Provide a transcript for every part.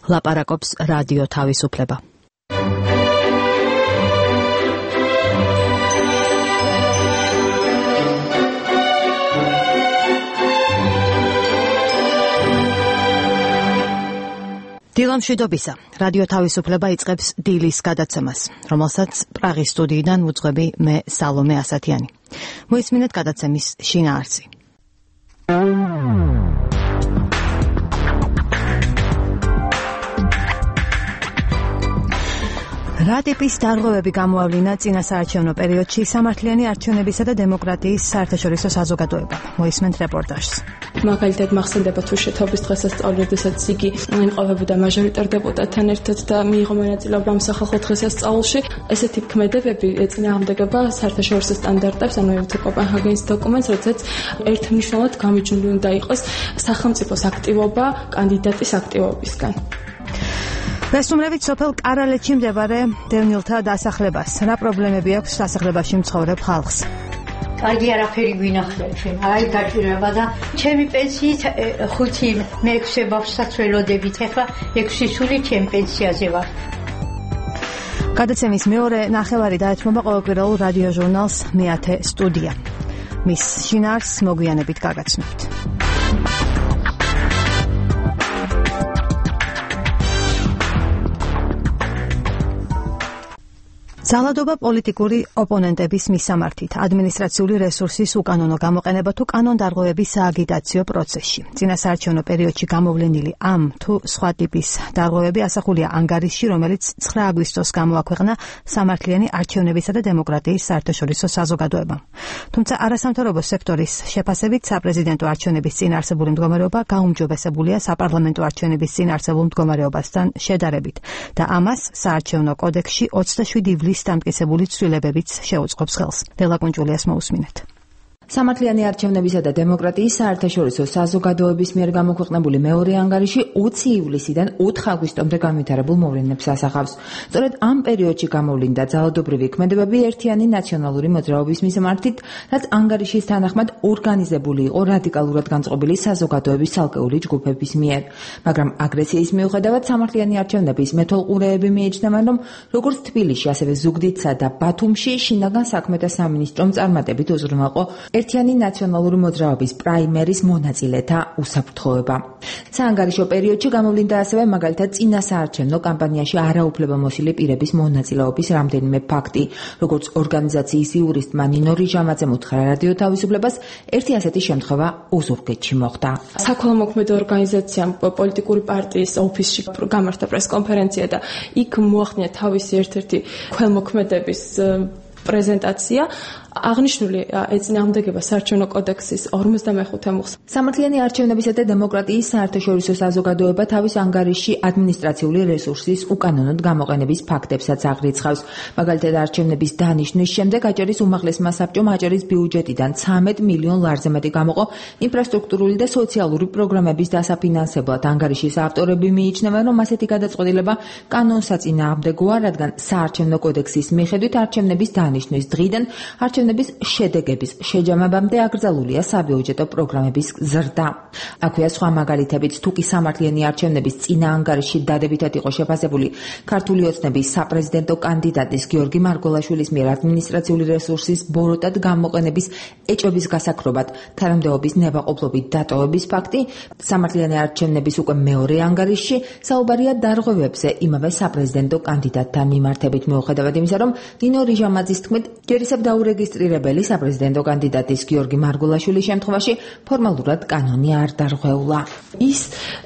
ლაპარაკობს რადიო თავისუფლება. დილამშვიდობისა. რადიო თავისუფლება იწყებს დილის გადაცემას, რომელსაც პრაღის სტუდიიდან ვუძღვები მე სალომე ასათიანი. მოისმინეთ გადაცემის შინაარსი. რა ტიპის დარღვევები გამოავლინა წინასაარჩევნო პერიოდში სამართლიანი არჩევნებისა და დემოკრატიის საერთაშორისო საზოგადოებამ. მოისმენთ რეპორტაჟს. მაგალითად მახსენდება თუ შეთაობის დღესასწაული, როდესაც იგი იმყოფებოდა მაჟორიტარ დეპუტატთან ერთად და მიიღო მონაწილეობა ამ სახალხო დღესასწაულში. ესეთი ქმედებები ეწინააღმდეგება საერთაშორისო სტანდარტებს, ანუ კოპენჰაგენის დოკუმენტს, როდესაც ერთმნიშვნელად გამიჯნული უნდა იყოს სახელმწიფოს აქტივობა კანდიდატის აქტივობისგან. ვესუმრებით სოფელ კარალეთში მდებარე დევნილთა დასახლებას. რა პრობლემები აქვს დასახლებაში მცხოვრებ ხალხს? კარგი არაფერი გვინახეთ ჩვენ. აი გაჭირება და ჩემი პენსიით 5-6 ბავშვსაც ველოდებით. ახლა 6 სული ჩემ პენსიაზე ვარ. გადაცემის მეორე ნახევარი დაეთმობა ყოველკვირეულ რადიო ჟურნალს მეათე სტუდია. მის შინაარსს მოგვიანებით გაგაცნობთ. ძალადობა პოლიტიკური ოპონენტების მისამართით, ადმინისტრაციული რესურსის უკანონო გამოყენება თუ კანონდარღვევების სააგიტაციო პროცესში. წინასაარჩევნო პერიოდში გამოვლენილი ამ თუ სხვა ტიპის დარღვევები ასახულია ანგარიშში, რომელიც 9 აგვისტოს გამოაქვეყნა სამართლიანი არჩევნებისა და დემოკრატიის საერთაშორისო საზოგადოებამ. თუმცა არასამთავრობო სექტორის შეფასებით საპრეზიდენტო არჩევნების წინ არსებული მდგომარეობა გაუმჯობესებულია საპარლამენტო არჩევნების წინ არსებულ მდგომარეობასთან შედარებით და ამას საარჩევნო კოდექსში 27 ივლის დამტკიცებული ცვლილებებიც შეუწყობს ხელს. დელაკუნჯულიას მოусმინეთ. სამართლიანი არჩევნებისა და დემოკრატიის საერთაშორისო საზოგადოების მიერ გამოქვეყნებული მეორე ანგარიში 20 ივლისიდან 4 აგვისტომდე განვითარებულ მოვლენებს ასახავს. სწორედ ამ პერიოდში გამოვლინდა ძალადობრივი ქმედებები ერთიანი ნაციონალური მოძრაობის მისამართით, რაც ანგარიშის თანახმად ორგანიზებული იყო რადიკალურად განწყობილი საზოგადოების ცალკეული ჯგუფების მიერ. მაგრამ აგრესიის მიუხედავად სამართლიანი არჩევნების მეთვალყურეები მიიჩნევენ, რომ როგორც თბილისში, ასევე ზუგდიდსა და ბათუმში შინაგან საქმეთა სამინისტრომ წარმატებით უზრუნველყო ერთიანი ნაციონალური მოძრაობის პრაიმერის მონაწილეთა უსაფრთხოება. საანგარიშო პერიოდში გამოვლინდა ასევე მაგალითად წინასაარჩევნო კამპანიაში არაუფლებამოსილი პირების მონაწილეობის რამდენიმე ფაქტი, როგორც ორგანიზაციის იურისტმა ნინო რიჟამაძემ უთხრა რადიო თავისუფლებას, ერთი ასეთი შემთხვევა ოზურგეთში მოხდა. საქველმოქმედო ორგანიზაციამ პოლიტიკური პარტიის ოფისში გამართა პრესკონფერენცია და იქ მოახდინა თავისი ერთ-ერთი ქველმოქმედების პრეზენტაცია. აღნიშნული ეწინააღმდეგება საარჩევნო კოდექსის 55 მუხლს. სამართლიანი არჩევნებისა და დემოკრატიის საერთაშორისო საზოგადოება თავის ანგარიშში ადმინისტრაციული რესურსის უკანონოდ გამოყენების ფაქტებსაც აღრიცხავს. მაგალითად, არჩევნების დანიშნვის შემდეგ აჭარის უმაღლესმა საბჭომ აჭარის ბიუჯეტიდან 13 მილიონ ლარზე მეტი გამოყო ინფრასტრუქტურული და სოციალური პროგრამების დასაფინანსებლად. ანგარიშის ავტორები მიიჩნევენ, რომ ასეთი გადაწყვეტილება კანონსაწინააღმდეგოა, რადგან საარჩევნო კოდექსის მიხედვით არჩევნების დანიშნვის დღიდან არჩევნების შედეგების შეჯამებამდე აკრძალულია საბიუჯეტო პროგრამების ზრდა. აქვეა სხვა მაგალითებიც, თუ კი სამართლიანი არჩევნების წინა ანგარიშში დადებითად იყო შეფასებული ქართული ოცნების საპრეზიდენტო კანდიდატის გიორგი მარგველაშვილის მიერ ადმინისტრაციული რესურსის ბოროტად გამოყენების ეჭვების გასაქრობად თანამდებობის ნებაყოფლობით დატოვების ფაქტი, სამართლიანი არჩევნების უკვე მეორე ანგარიშში საუბარია დარღვევებზე იმავე საპრეზიდენტო კანდიდატთან მიმართებით, მიუხედავად იმისა, რომ ნინო რიჟამაძის თქმით, ჯერისებ დაურეგისტრირებელი საპრეზიდენტო კანდიდატის გიორგი მარგველაშვილის შემთხვევაში ფორმალურად კანონი არ დარღვეულა. ის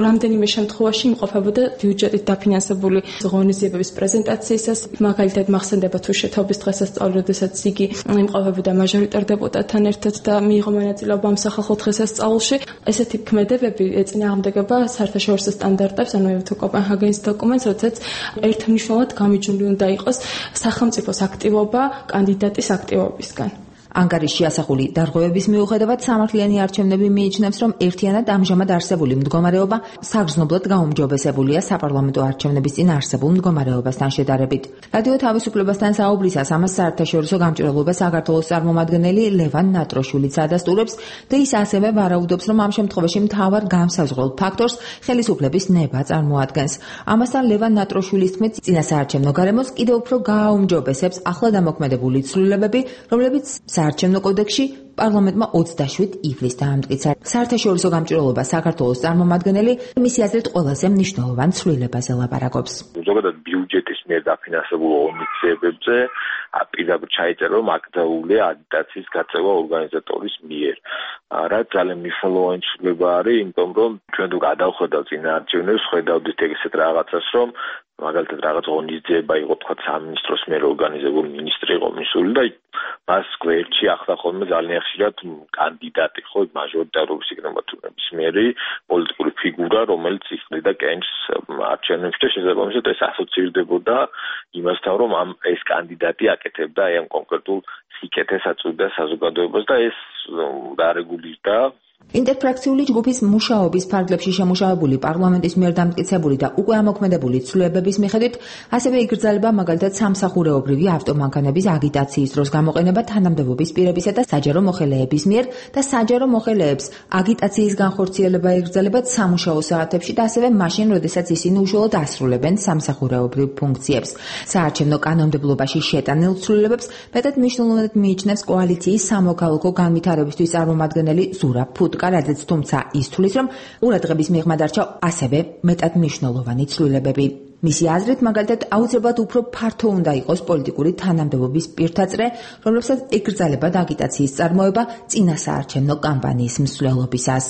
რამდენიმე შემთხვევაში იმყოფებოდა ბიუჯეტით დაფინანსებული ღონისძიებების პრეზენტაციისას, მაგალითად მახსენდება თუ შეთაობის დღესასწაული, როდესაც იგი იმყოფებოდა მაჟორიტარ დეპუტატთან ერთად და მიიღო მონაწილეობა ამ სახალხო დღესასწაულში. ესეთი ქმედებები ეწინააღმდეგება საერთაშორისო სტანდარტებს, ანუ კოპენჰაგენის დოკუმენტს, როდესაც ერთმნიშვნელად გამიჯნული უნდა იყოს სახელმწიფოს აქტივობა კანდიდატის აქტივობისგან. ანგარიშში ასახული დარღვევების მიუხედავად სამართლიანი არჩევნები მიიჩნევს, რომ ერთიანად ამჟამად არსებული მდგომარეობა საგრძნობლად გაუმჯობესებულია საპარლამენტო არჩევნების წინ არსებულ მდგომარეობასთან შედარებით. რადიო თავისუფლებასთან საუბრისას ამას საერთაშორისო გამჭირვალობა საქართველოს წარმომადგენელი ლევან ნატროშვილიც ადასტურებს და ის ასევე ვარაუდობს, რომ ამ შემთხვევაში მთავარ განსაზღვრულ ფაქტორს ხელისუფლების ნება წარმოადგენს. ამასთან ლევან ნატროშვილის თქმით, წინასაარჩევნო გარემოს კიდევ უფრო გააუმჯობესებს ახლად ამოქმედებული ცვლილებები, რომლებიც საარჩევნო კოდექსში პარლამენტმა 27 ივლისს დაამტკიცა. საერთაშორისო გამჭირვალობა საქართველოს წარმომადგენელი მისი აზრით ყველაზე მნიშვნელოვან ცვლილებაზე ლაპარაკობს. ზოგადად ბიუჯეტის მიერ დაფინანსებულ ღონისძიებებზე პირდაპირ ჩაიწერა, რომ აკრძალულია აგიტაციის გაწევა ორგანიზატორის მიერ. რაც ძალიან მნიშვნელოვანი ცვლილება არის, იმიტომ რომ ჩვენ თუ გადავხედავთ წინაარჩევნებს, ხედავდით ეგეთ რაღაცას, რომ მაგალითად რაღაც ღონისძიება იყო თქვა სამინისტროს მიერ ორგანიზებული, მინისტრი იყო მისული და მას გვერდში ახლა ხოლმე ძალიან ხშირად კანდიდატი ხო მაჟორიტარობის იქნება თუ ნებისმიერი პოლიტიკური ფიგურა, რომელიც იყრიდა კენჭს არჩევნებში და შესაბამისად ეს ასოცირდებოდა იმასთან, რომ ეს კანდიდატი აკეთებდა აი ამ კონკრეტულ სიკეთეს აწვდიდა საზოგადოებას და ეს დარეგულირდა. ინტერფრაქციული ჯგუფის მუშაობის ფარგლებში შემუშავებული პარლამენტის მიერ დამტკიცებული და უკვე ამოქმედებული ცვლილებების მიხედვით ასევე იგრძელება მაგალითად სამსახურეობრივი ავტომანქანების აგიტაციის დროს გამოყენება თანამდებობის პირებისა და საჯარო მოხელეების მიერ და საჯარო მოხელეებს აგიტაციის განხორციელება იგრძელებათ სამუშაო საათებში და ასევე მაშინ, როდესაც ისინი უშუალოდ ასრულებენ სამსახურეობრივ ფუნქციებს. საარჩევნო კანონმდებლობაში შეტანილ ცვლილებებს მეტად მნიშვნელოვნად მიიჩნევს კოალიციის სამოქალაქო განვითარებისთვის წარმომადგენელი ზურაბ რაზეც თუმცა ის თვლის, რომ ყურადღების მიღმა დარჩა ასევე მეტად მნიშვნელოვანი ცვლილებები. მისი აზრით, მაგალითად, აუცილებლად უფრო ფართო უნდა იყოს პოლიტიკური თანამდებობის პირთაწრე, რომლებსაც ეკრძალებათ აგიტაციის წარმოება წინასაარჩევნო კამპანიის მსვლელობისას.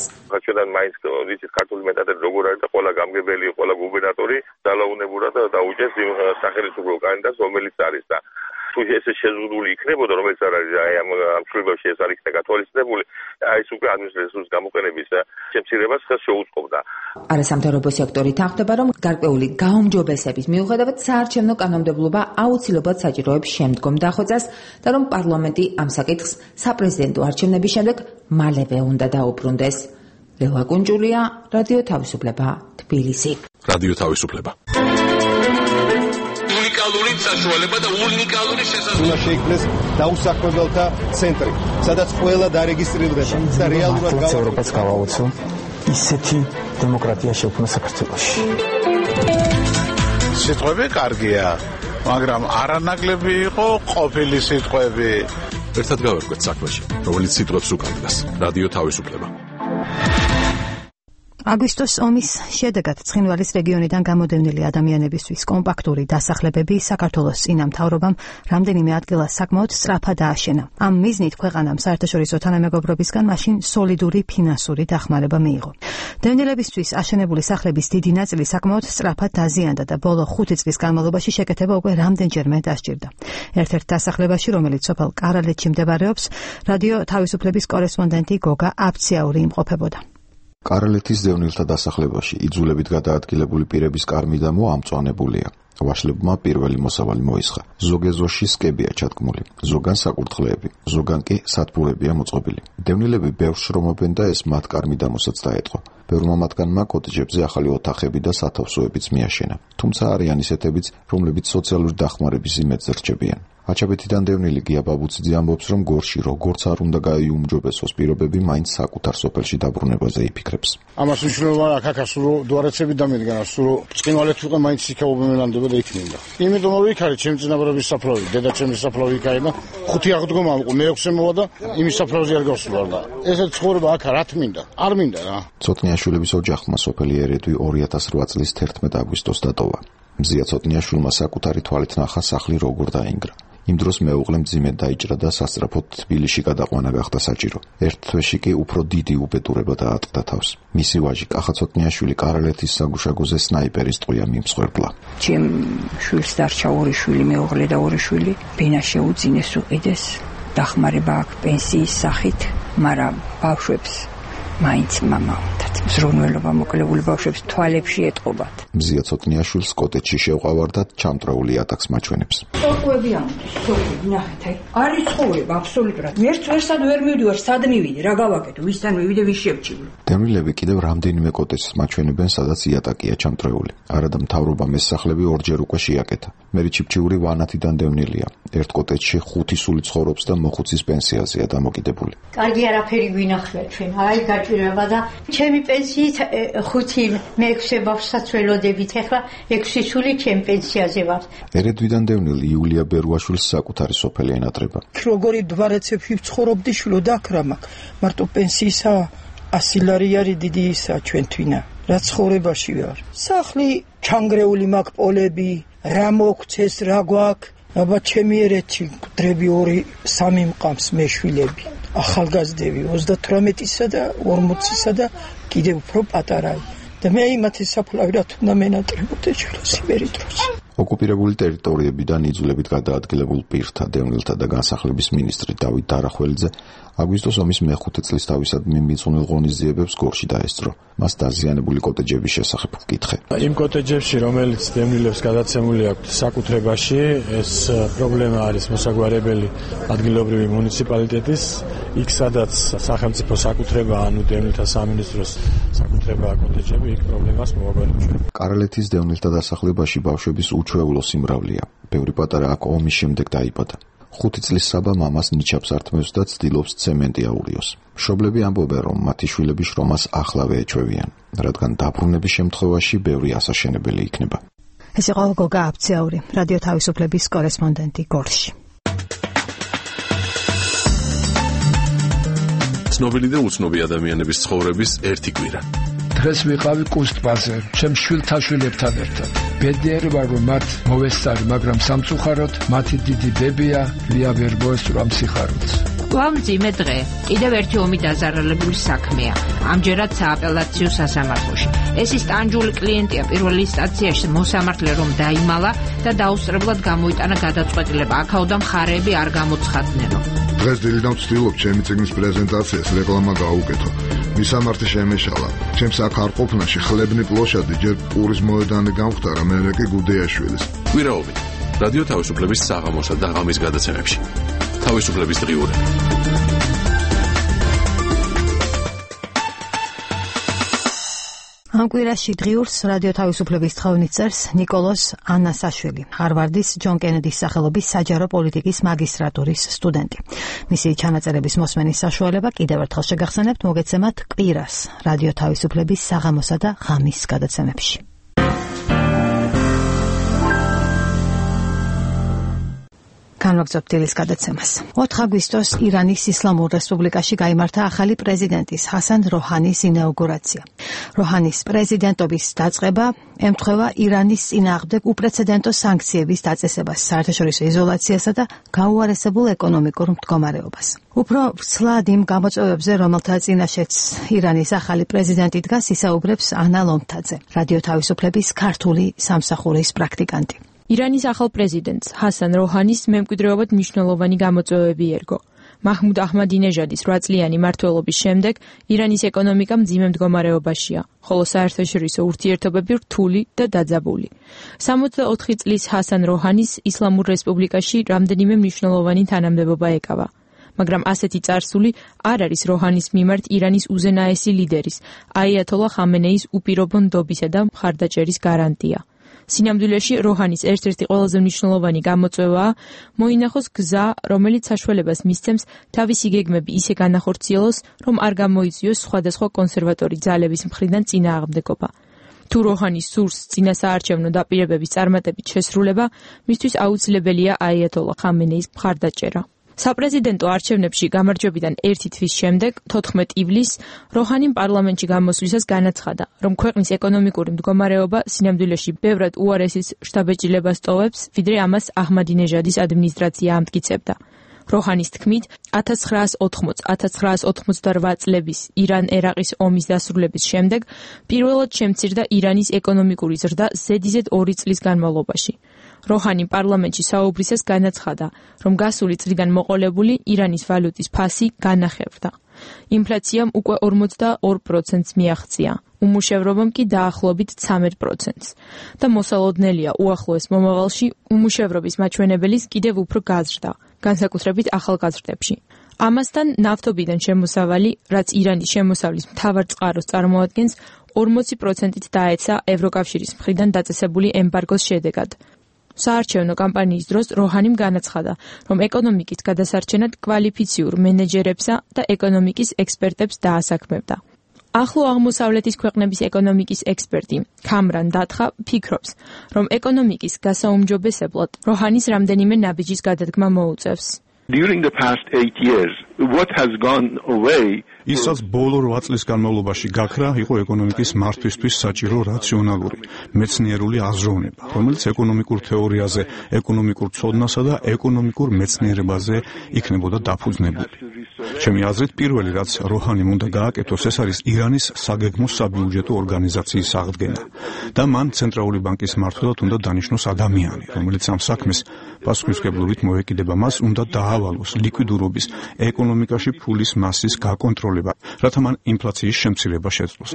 ჩვენ მაინც ვიცით ქართული მეტადად როგორ არის და ყველა გამგებელი, ყველა გუბერნატორი ძალაუნებურად დაუჭერს იმ სახელმწიფო კანდიდატს, რომელიც არის და თუ ეს შეზღუდული იქნებოდა, რომელიც არის აი ამ ცვლილებებში ეს არ იქნა გათვალისწინებული, აი ეს უკვე ადმინისტრაციის გამოყენების შემცირებას ხელს შეუწყობდა. არასამთავრობო სექტორი თანხმდება, რომ გარკვეული გაუმჯობესების მიუხედავად საარჩევნო კანონმდებლობა აუცილებლად საჭიროებს შემდგომ დახვეწას და რომ პარლამენტი ამ საკითხს საპრეზიდენტო არჩევნების შემდეგ მალევე უნდა დაუბრუნდეს. ლელა კუნჯულია, რადიო თავისუფლება, თბილისი. რადიო თავისუფლება. საშუალება და უნიკალური შესაძლებლობა შეიქმნეს დაუსახლებელთა ცენტრი, სადაც ყველა დარეგისტრირდება და რეალურად ევროპას გავაუცო ისეთი დემოკრატია შექმნა საქართველოში. სიტყვები კარგია, მაგრამ არანაკლები იყო ყოფილი სიტყვები. ერთად გავერკვეთ საქმეში, რომელიც სიტყვებს უკავშირდება. რადიო თავისუფლება. აგვისტოს ომის შედეგად ცხინვალის რეგიონიდან გამოდევნილი ადამიანებისთვის კომპაქტური დასახლებები საქართველოს წინა მთავრობამ რამდენიმე ადგილას საკმაოდ სწრაფად ააშენა. ამ მიზნით ქვეყანამ საერთაშორისო თანამეგობრობისგან მაშინ სოლიდური ფინანსური დახმარება მიიღო. დევნილებისთვის აშენებული სახლების დიდი ნაწილი საკმაოდ სწრაფად დაზიანდა და ბოლო 5 წლის განმავლობაში შეკეთება უკვე რამდენჯერმე დასჭირდა. ერთ-ერთ დასახლებაში, რომელიც სოფელ კარალეთში მდებარეობს, რადიო თავისუფლების კორესპონდენტი გოგა აფციაური იმყოფებოდა. კარალეთის დევნილთა დასახლებაში იძულებით გადაადგილებული პირების კარ-მიდამო ამწვანებულია. ვაშლებმა პირველი მოსავალი მოისხა. ზოგ ეზოში სკებია ჩადგმული, ზოგან საკურთხლეები, ზოგან კი სათბურებია მოწყობილი. დევნილები ბევრს შრომობენ და ეს მათ კარ-მიდამოსაც დაეტყო. ბევრმა მათგანმა კოტეჯებზე ახალი ოთახები და სათავსოებიც მიაშენა. თუმცა არიან ისეთებიც, რომლებიც სოციალური დახმარების იმედს რჩებიან. აჩაბეთიდან დევნილი გია ბაბუციძე ამბობს, რომ გორში როგორც არ უნდა გაიუმჯობესოს პირობები, მაინც საკუთარ სოფელში დაბრუნებაზე იფიქრებს. ამას მნიშვნელობა აქ სულ დუარეცები დამედგა, სულ ცხინვალეთ უკვე მაინც იქაობენ მელანდება და იქნება. იმიტომ რომ იქ არის ჩემი წინაპრების საფლავი, დედაჩემის საფლავი იქ არის და 5 აღდგომა იყო, მე-6 მოვა და იმის საფლავზე არ გავსულა და ესეც ცხოვრება აქ რა თმინდა, არ მინდა რა. ცოტნიაშვილების ოჯახმა სოფელი ერედვი 2008 წლის 11 აგვისტოს დატოვა. მზია ცოტნიაშვილმა საკუთარი თვალით ნახა სახლი როგორ დაინგრა. იმ დროს მეუღლემ მძიმედ დაიჭრა და სასწრაფოდ თბილისში გადაყვანა გახდა საჭირო. ერთ თვეში კი უფრო დიდი უბედურება დაატყდა თავს. მისი ვაჟი კახა ცოტნიაშვილი კარალეთის საგუშაგოზე სნაიპერის ტყვია მიმსხვერპლა. ჩემ შვილს დარჩა 2 შვილი, მეუღლე და 2 შვილი. ბენა შეუძინეს უყიდეს, დახმარება აქვს პენსიის სახით, მაგრამ ბავშვებს მაინც მამაუნდათ ზრუნველობა მოკლებული ბავშვებს თვალებში ეტყობათ. მზია ცოტნიაშვილს კოტეჯში შევყავარდათ ჩამტრეული ატაკს მაჩვენებს. სოკუები ამბობს, ნახეთ, არის ცხოვრება აბსოლუტურად. მერც ვერსად ვერ მივდივარ, სად მივიდე, რა გავაკეთო, ვისთან მივიდე, ვის შევჩივლო. დევნილები კიდევ რამდენიმე კოტეჯს მაჩვენებენ, სადაც იატაკია ჩამტრეული. არადა მთავრობამ ეს სახლები ორჯერ უკვე შეაკეთა. მერი ჩიფჩიური ვანათიდან დევნილია. ერთ კოტეჯში 5 სული ცხოვრობს და მოხუცის პენსიაზეა დამოკიდებული. კარგი არაფერი გვინახია ჩვენ, აი გაჭირება და ჩემი პენსიით 5 მე-6 ბავშვსაც ველოდებით, ახლა 6 სული ჩემ პენსიაზე ვარ. ერედვიდან დევნილი იულია ბერუაშვილს საკუთარი სოფელი ენატრება. როგორი დვარაცებში ვცხოვრობდი შვილო და აქ რა მაქვს, მარტო პენსიისა 100 ლარი არის დიდი ისა ჩვენთვინა. რა ცხოვრებაში ვარ. სახლი ჩანგრეული მაქვს პოლები, რა მოგცეს, რა გვაქვს. აბა ჩემი ერეთში მკვდრები 2-3 მყავს მეშვილები. ახალგაზრდები 38-ისა და 40-ისა და კიდევ უფრო პატარაა. და მე იმათი საფლავი რა თუნდა მენატრებოდე შვილოს იმერი დროს. ოკუპირებული ტერიტორიებიდან იძულებით გადაადგილებულ პირთა, დევნილთა და განსახლების მინისტრი დავით დარახველიძე აგვისტოს ომის მე-5 წლის თავისადმი მიწვნილ ღონისძიებებს გორში დაესწრო. მას დაზიანებული კოტეჯების შესახებ ვკითხე. იმ კოტეჯებში, რომელიც დევნილებს გადაცემული აქვთ საკუთრებაში, ეს პრობლემა არის მოსაგვარებელი ადგილობრივი მუნიციპალიტეტის, იქ სადაც სახელმწიფო საკუთრება, ანუ დევნილთა სამინისტროს საკუთრება კოტეჯები, იქ პრობლემას მოვაგვარებთ. კარალეთის დევნილთა დასახლებაში ბავშვების უჩვეულო სიმრავლეა. ბევრი პატარა აქ ომის შემდეგ დაიბადა. 5 წლის საბა მამას ნიჩაბს ართმევს და ცდილობს ცემენტი აურიოს. მშობლები ამბობენ, რომ მათი შვილები შრომას ახლავე ეჩვევიან, რადგან დაბრუნების შემთხვევაში ბევრი ასაშენებელი იქნება. ეს იყო გოგა აბციაური, რადიო თავისუფლების კორესპონდენტი გორში. ცნობილი და უცნობი ადამიანების ცხოვრების ერთი კვირა. დღეს ვიყავი კუსტბაზე, ჩემ შვილთაშვილებთან ერთად. ბედნიერი ვარ, რომ მათ მოვესწარი, მაგრამ სამწუხაროდ მათი დიდი დებია ლია ვერ მოესწრო ამ სიხარულს. გვამძიმე დღე, კიდევ ერთი ომი დაზარალებული საქმეა. ამჯერად სააპელაციო სასამართლოში. ეს ის ტანჯული კლიენტია პირველი ინსტანციაში მოსამართლე რომ დაიმალა და დაუსწრებლად გამოიტანა გადაწყვეტილება. აქაოდან მხარეები არ გამოცხადნენო. დღეს დილიდან ვცდილობ ჩემი წიგნის პრეზენტაციას რეკლამა გაუკეთო. მისამართი შემეშალა. ჩემს აქ არ ყოფნაში ხლებნი პლოშადი ჯერ პურის მოედანი გამختარა, მერე კი გუდეაშვილის. კვირაობით რადიო თავისუფლების საღამოსა და ღამის გადაცემებში. თავისუფლების დღიურები. ამ კვირაში დღიურს რადიო თავისუფლების თხოვნით წერს ნიკოლოზ ანასაშვილი, ჰარვარდის ჯონ კენედის სახელობის საჯარო პოლიტიკის მაგისტრატურის სტუდენტი. მისი ჩანაწერების მოსმენის საშუალება კიდევ ერთხელ შეგახსენებთ მოგეცემათ კვირას რადიო თავისუფლების საღამოსა და ღამის გადაცემებში. განვაგრძობთ დილის გადაცემას. 4 აგვისტოს ირანის ისლამურ რესპუბლიკაში გაიმართა ახალი პრეზიდენტის ჰასან როჰანის ინაუგურაცია. როჰანის პრეზიდენტობის დაწყება ემთხვევა ირანის წინააღმდეგ უპრეცედენტო სანქციების დაწესებას, საერთაშორისო იზოლაციასა და გაუარესებულ ეკონომიკურ მდგომარეობას. უფრო ვრცლად იმ გამოწვევებზე, რომელთა წინაშეც ირანის ახალი პრეზიდენტი დგას, ისაუბრებს ანა ლომთაძე, რადიო თავისუფლების ქართული სამსახურის პრაქტიკანტი. ირანის ახალ პრეზიდენტს ჰასან როჰანის მემკვიდრეობად მნიშვნელოვანი გამოწვევები ერგო. მაჰმუდ აჰმადინეჟადის 8 წლიანი მმართველობის შემდეგ ირანის ეკონომიკა მძიმე მდგომარეობაშია, ხოლო საერთაშორისო ურთიერთობები რთული და დაძაბული. 64 წლის ჰასან როჰანის ისლამურ რესპუბლიკაში რამდენიმე მნიშვნელოვანი თანამდებობა ეკავა. მაგრამ ასეთი წარსული არ არის როჰანის მიმართ ირანის უზენაესი ლიდერის, აიათოლა ხამენეის უპირობო ნდობისა და მხარდაჭერის გარანტია. სინამდვილეში როჰანის ერთ-ერთი ყველაზე მნიშვნელოვანი გამოწვევაა მოინახოს გზა, რომელიც საშუალებას მისცემს თავისი გეგმები ისე განახორციელოს, რომ არ გამოიწვიოს სხვადასხვა კონსერვატორი ძალების მხრიდან წინააღმდეგობა. თუ როჰანის სურს წინასაარჩევნო დაპირებების წარმატებით შესრულება, მისთვის აუცილებელია აიათოლა ხამენეის მხარდაჭერა. საპრეზიდენტო არჩევნებში გამარჯვებიდან 1 თვის შემდეგ, 14 ივლისს, როჰანიმ პარლამენტში გამოსვლისას განაცხადა, რომ ქვეყნის ეკონომიკური მდგომარეობა სინამდვილეში ბევრად უარესის შთაბეჭდილებას ტოვებს, ვიდრე ამას აჰმადინეჟადის ადმინისტრაცია ამტკიცებდა. როჰანის თქმით, 1980-1988 წლების ირან-ერაყის ომის დასრულების შემდეგ პირველად შემცირდა ირანის ეკონომიკური ზრდა ზედიზედ 2 წლის განმავლობაში. როჰანი პარლამენტში საუბრისას განაცხადა, რომ გასული წლიდან მოყოლებული ირანის ვალუტის ფასი განახევრდა. ინფლაციამ უკვე 42%-ს მიაღწია. უმუშევრობამ კი დაახლოებით 13%-ს და მოსალოდნელია უახლოეს მომავალში უმუშევრობის მაჩვენებელის კიდევ უფრო გაზრდა, განსაკუთრებით ახალგაზრდებში. ამასთან ნავთობიდან შემოსავალი, რაც ირანის შემოსავლის მთავარ წყაროს წარმოადგენს, 40%-ით დაეცა ევროკავშირის მხრიდან დაწესებული ემბარგოს შედეგად. საარჩევნო კამპანიის დროს როჰანიმ განაცხადა, რომ ეკონომიკის გადასარჩენად კვალიფიციურ მენეჯერებსა და ეკონომიკის ექსპერტებს დაასაქმებდა. ახლო აღმოსავლეთის ქვეყნების ეკონომიკის ექსპერტი ქამრან დათხა ფიქრობს, რომ ეკონომიკის გასაუმჯობესებლად როჰანის რამდენიმე ნაბიჯის გადადგმა მოუწევს. During the past 8 years, what has gone away ისაც ბოლო 8 წლის განმავლობაში გაქრა, იყო ეკონომიკის მართვისთვის საჭირო რაციონალური, მეცნიერული აზროვნება, რომელიც ეკონომიკურ თეორიაზე, ეკონომიკურ ცოდნასა და ეკონომიკურ მეცნიერებაზე იქნებოდა დაფუძნებული. ჩემი აზრით, პირველი რაც როჰანიმ უნდა გააკეთოს, ეს არის ირანის საგეგმო საბიუჯეტო ორგანიზაციის აღდგენა და მან ცენტრალური ბანკის მმართველად უნდა დანიშნოს ადამიანი, რომელიც ამ საქმეს პასუხისმგებლობით მოეკიდება. მას უნდა დაავალოს ლიკვიდურობის, ეკონომიკაში ფულის მასის გაკონტროლება, რათა მან ინფლაციის შემცირება შეძლოს.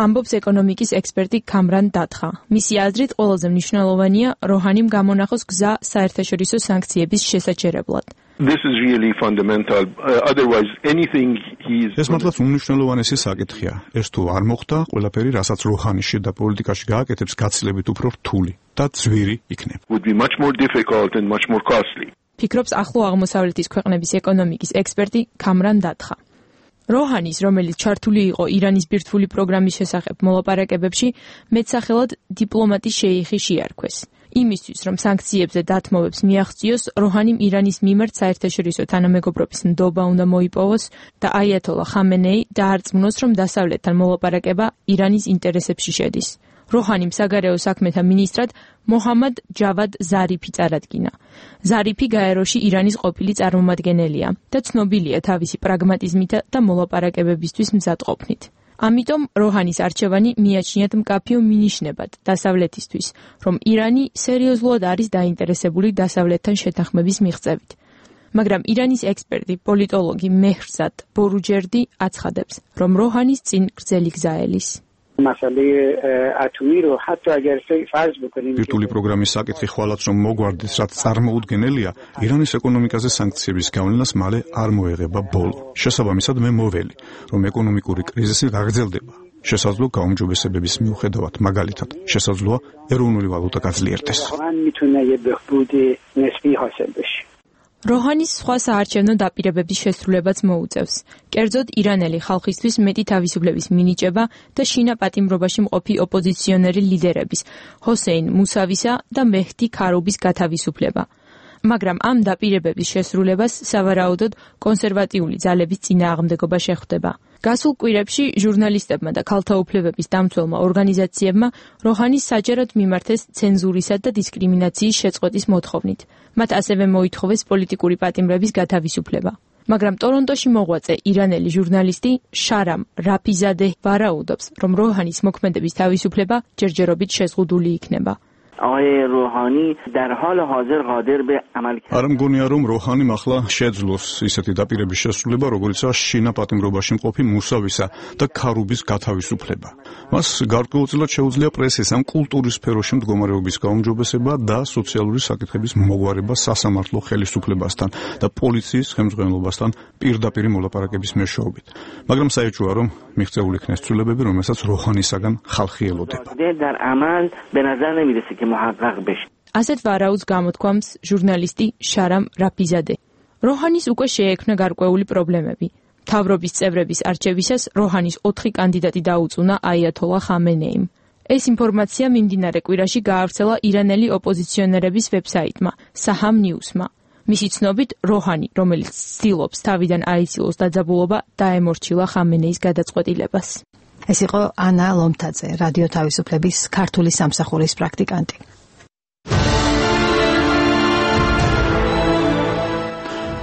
ამბობს ეკონომიკის ექსპერტი ქამრან დათხა. მისი აზრით, ყველაზე მნიშვნელოვანია როჰანიმ გამონახოს გზა საერთაშორისო სანქციების შესაჩერებლად. This is really fundamental. Otherwise, anything ეს მართლაც უმნიშვნელოვანესი საკითხია. ეს თუ არ მოხდა, ყველაფერი, რასაც როჰანი შიდა პოლიტიკაში გააკეთებს, გაცილებით უფრო რთული და ძვირი იქნება. Would be much more difficult and much more costly. ფიქრობს ახლო აღმოსავლეთის ქვეყნების ეკონომიკის ექსპერტი ქამრან დათხა. როჰანის, რომელიც ჩართული იყო ირანის ბირთვული პროგრამის შესახებ მოლაპარაკებებში, მეტსახელად დიპლომატი შეიხი შეარქვეს. იმისთვის, რომ სანქციებზე დათმობებს მიაღწიოს, როჰანიმ ირანის მიმართ საერთაშორისო თანამეგობრობის ნდობა უნდა მოიპოვოს და აიათოლა ხამენეი დაარწმუნოს, რომ დასავლეთთან მოლაპარაკება ირანის ინტერესებში შედის. როჰანიმ საგარეო საქმეთა მინისტრად მოჰამად ჯავად ზარიფი წარადგინა. ზარიფი გაეროში ირანის ყოფილი წარმომადგენელია და ცნობილია თავისი პრაგმატიზმით და მოლაპარაკებებისთვის მზადყოფნით. ამიტომ როჰანის არჩევანი მიაჩნიათ მკაფიო მინიშნებად დასავლეთისთვის, რომ ირანი სერიოზულად არის დაინტერესებული დასავლეთთან შეთანხმების მიღწევით. მაგრამ ირანის ექსპერტი, პოლიტოლოგი მეჰრზად ბორუჯერდი აცხადებს, რომ როჰანის წინ გრძელი გზა ელის. ბირთვული პროგრამის საკითხი ხვალაც რომ მოგვარდეს, რაც წარმოუდგენელია, ირანის ეკონომიკაზე სანქციების გავლენას მალე არ მოეღება ბოლო. შესაბამისად, მე მოველი, რომ ეკონომიკური კრიზისი გაგრძელდება. შესაძლოა გაუმჯობესებების მიუხედავად, მაგალითად, შესაძლოა ეროვნული ვალუტა გაძლიერდეს. როჰანის სხვა საარჩევნო დაპირებების შესრულებაც მოუწევს. კერძოდ, ირანელი ხალხისთვის მეტი თავისუფლების მინიჭება და შინა პატიმრობაში მყოფი ოპოზიციონერი ლიდერების, ჰოსეინ მუსავისა და მეჰდი ქარუბის გათავისუფლება. მაგრამ ამ დაპირებების შესრულებას სავარაუდოდ კონსერვატიული ძალების წინააღმდეგობა შეხვდება. გასულ კვირებში ჟურნალისტებმა და ქალთა უფლებების დამცველმა ორგანიზაციებმა როჰანის საჯაროდ მიმართეს ცენზურისა და დისკრიმინაციის შეწყვეტის მოთხოვნით. მათ ასევე მოითხოვეს პოლიტიკური პატიმრების გათავისუფლება. მაგრამ ტორონტოში მოღვაწე ირანელი ჟურნალისტი შარამ რაფიზადე ვარაუდობს, რომ როჰანის მოქმედების თავისუფლება ჯერჯერობით შეზღუდული იქნება. არ მგონია, რომ როჰანიმ ახლა შეძლოს ისეთი დაპირების შესრულება, როგორიცაა შინა პატიმრობაში მყოფი მუსავისა და ქარუბის გათავისუფლება. მას გარკვეულწილად შეუძლია პრესის ამ კულტურის სფეროში მდგომარეობის გაუმჯობესება და სოციალური საკითხების მოგვარება სასამართლო ხელისუფლებასთან და პოლიციის ხელმძღვანელობასთან პირდაპირ მოლაპარაკების მეშვეობით. მაგრამ საეჭვოა, რომ მიღწეული იქნეს ცვლილებები, რომელსაც როჰანისაგან ხალხი ელოდება. ასეთ ვარაუდს გამოთქვამს ჟურნალისტი შარამ რაფიზადე. როჰანის უკვე შეექმნა გარკვეული პრობლემები. მთავრობის წევრების არჩევისას როჰანის 4 კანდიდატი დაუწუნა აიათოლა ხამენეიმ. ეს ინფორმაცია მიმდინარე კვირაში გაავრცელა ირანელი ოპოზიციონერების ვებსაიტმა, საჰამ ნიუსმა. მისი ცნობით, როჰანი, რომელიც ცდილობს თავიდან აიცილოს დაძაბულობა, დაემორჩილა ხამენეის გადაწყვეტილებას. ეს იყო ანა ლომთაძე, რადიო თავისუფლების ქართული სამსახურის პრაქტიკანტი.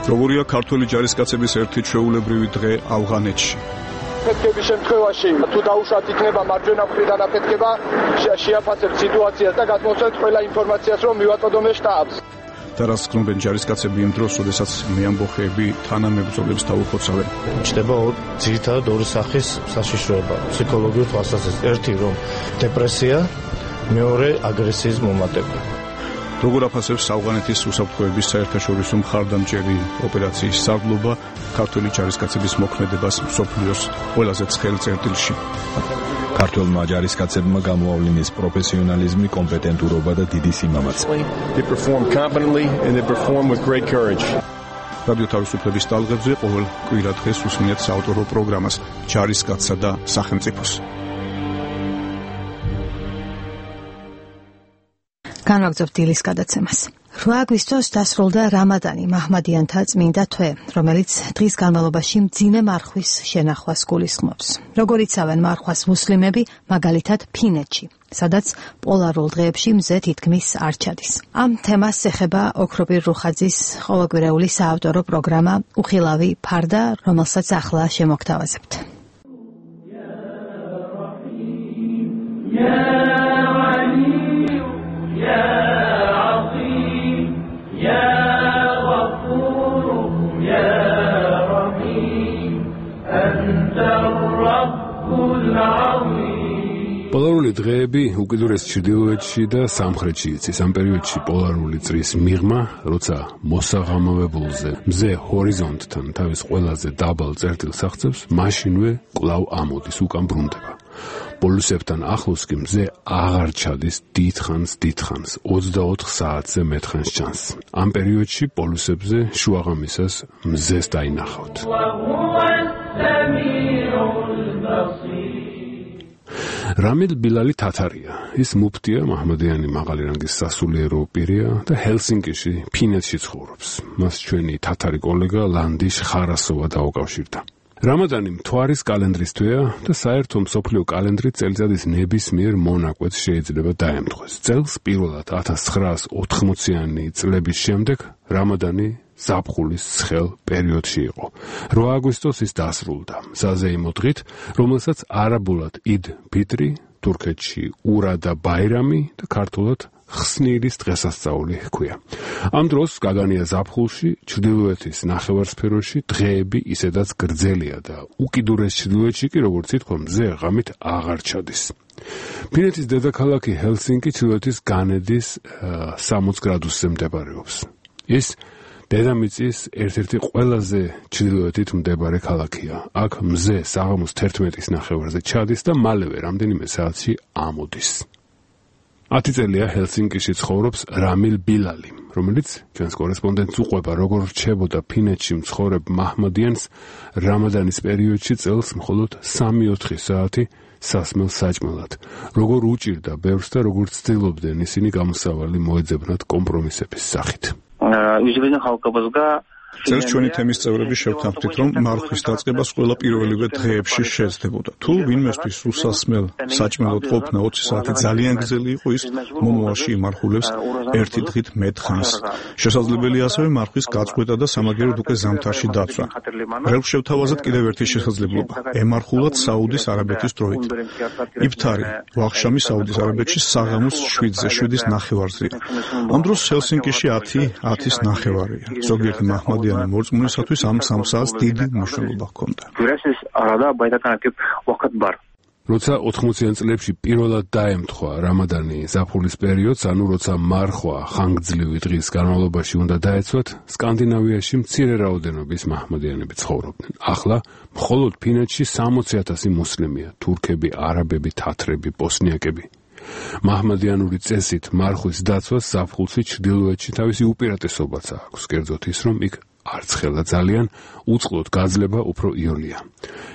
როგორია ქართველი ჯარისკაცების ერთი ჩვეულებრივი დღე ავღანეთში? აფეთქების შემთხვევაში თუ დაუშვათ იქნება მარჯვენა მხრიდან აფეთქება, შეაფასებთ სიტუაციას და გადმოსცემთ ყველა ინფორმაციას, რომ მივაწოდოთ შტაბს. და რაც გნობენ ჯარისკაცები იმ დროს, როდესაც მეამბოხეები თანამებრძოლებს დაუხოცავენ. ჩდება ძირითადად ორი სახის საშიშროება, ფსიქოლოგიური თვალსაზრისით. ერთი რომ დეპრესია, მეორე აგრესიის მომატება. როგორ აფასებს ავღანეთის უსაფრთხოების საერთაშორისო მხარდამჭერი ოპერაციის სარდლობა ქართველი ჯარისკაცების მოქმედებას მსოფლიოს ყველაზე ცხელ წერტილში? ქართველმა ჯარისკაცებმა გამოავლინის პროფესიონალიზმი, კომპეტენტურობა და დიდი სიმამაცე. They perform competently and they perform with great courage. რადიო თავისუფლების ტალღებზე ყოველ კვირა დღეს უსმენთ საავტორო პროგრამას ჯარისკაცსა და სახელმწიფოს. განვაგრძობთ დილის გადაცემას. 8 აგვისტოს დასრულდა რამადანი, მაჰმადიანთა წმინდა თვე, რომელიც დღის განმავლობაში მძიმე მარხვის შენახვას გულისხმობს. როგორ იცავენ მარხვას მუსლიმები, მაგალითად ფინეთში, სადაც პოლარულ დღეებში მზე თითქმის არ ჩადის. ამ თემას ეხება ოქროპირ რუხაძის ყოველკვირეული საავტორო პროგრამა უხილავი ფარდა, რომელსაც ახლა შემოგთავაზებთ. პოლარული დღეები უკიდურეს ჩრდილოეთში და სამხრეთში იცის. ამ პერიოდში პოლარული წრის მიღმა, როცა მოსაღამავებულზე მზე ჰორიზონტთან თავის ყველაზე დაბალ წერტილს აღწევს, მაშინვე კვლავ ამოდის, უკან ბრუნდება. პოლუსებთან ახლოს კი მზე აღარ ჩადის დიდხანს 24 საათზე მეტხანს ჩანს. ამ პერიოდში პოლუსებზე შუაღამისას მზეს დაინახავთ. რამილ ბილალი თათარია. ის მუფტია, მაჰმადიანი მაღალი რანგის სასულიერო პირია და ჰელსინკიში, ფინეთში ცხოვრობს. მას ჩვენი თათარი კოლეგა ლანდიშ ხარასოვა დაუკავშირდა. რამადანი მთვარის კალენდრის თვეა და საერთო მსოფლიო კალენდრი წელიწადის ნებისმიერ მონაკვეთს შეიძლება დაემთხვეს. წელს პირველად 1980-იანი წლების შემდეგ რამადანი ზაფხულის ცხელ პერიოდში იყო. 8 აგვისტოს ის დასრულდა საზეიმო დღით, რომელსაც არაბულად იდ ფიტრი, თურქეთში ურა და ბაირამი და ქართულად ხსნილის დღესასწაული ჰქვია. ამ დროს გაგანია ზაფხულში, ჩრდილოეთის ნახევარსფეროში დღეები ისედაც გრძელია და უკიდურეს ჩრდილოეთში კი, როგორც ითქვა, მზე ღამით აღარ ჩადის. ფინეთის დედაქალაქი ჰელსინკი ჩრდილოეთის განედის 60 გრადუსზე მდებარეობს. ის დედამიწის ერთ-ერთი ყველაზე ჩრდილოეთით მდებარე ქალაქია. აქ მზე საღამოს 11-ის ნახევარზე ჩადის და მალევე რამდენიმე საათში ამოდის. 10 წელია ჰელსინკიში ცხოვრობს რამილ ბილალი, რომელიც ჩვენს კორესპონდენტს უყვება, როგორ რჩებოდა ფინეთში მცხოვრებ მაჰმადიანს რამადანის პერიოდში წელს მხოლოდ 3-4 საათი სასმელ საჭმელად, როგორ უჭირდა ბევრს და როგორ ცდილობდნენ ისინი გამოსავალი მოეძებნათ კომპრომისების სახით. წელს ჩვენი თემის წევრები შევთანხმდით, რომ მარხვის დაწყებას ყველა პირველივე დღეებში შეეცდებოდა. თუ ვინმესთვის უსასმელ საჭმელად ყოფნა 20 საათი ძალიან გრძელი იყო, ის მომავალში იმარხულებს ერთი დღით მეტხანს. შესაძლებელია ასევე მარხვის გაწყვეტა და სამაგიეროდ უკვე ზამთარში დაცვა. რელს შევთავაზეთ კიდევ ერთი შესაძლებლობა. ემარხულად საუდის არაბეთის დროით. იფთარი ვახშამი საუდის არაბეთში საღამოს 7-7-ის ნახევარზეა. ამ დროს ჰელსინკიში 10-10-ის ნახევარია. ზოგიერთი მაჰმადიანი მორწმუნისათვის ამ 3 საათს დიდი მნიშვნელობა ჰქონდა. როცა 80-იან წლებში პირველად დაემთხვა რამადანი ზაფხულის პერიოდს, ანუ როცა მარხვა ხანგრძლივი დღის განმავლობაში უნდა დაეცვათ, სკანდინავიაში მცირე რაოდენობის მაჰმადიანები ცხოვრობდნენ. ახლა მხოლოდ ფინეთში 60,000 მუსლიმია, თურქები, არაბები, თათრები, ბოსნიაკები. მაჰმადიანური წესით მარხვის დაცვას ზაფხულში ჩრდილოეთში თავისი უპირატესობაც აქვს, კერძოდ ის, რომ იქ არცხელა ძალიან, უწყლოდ გაძლება უფრო იოლია.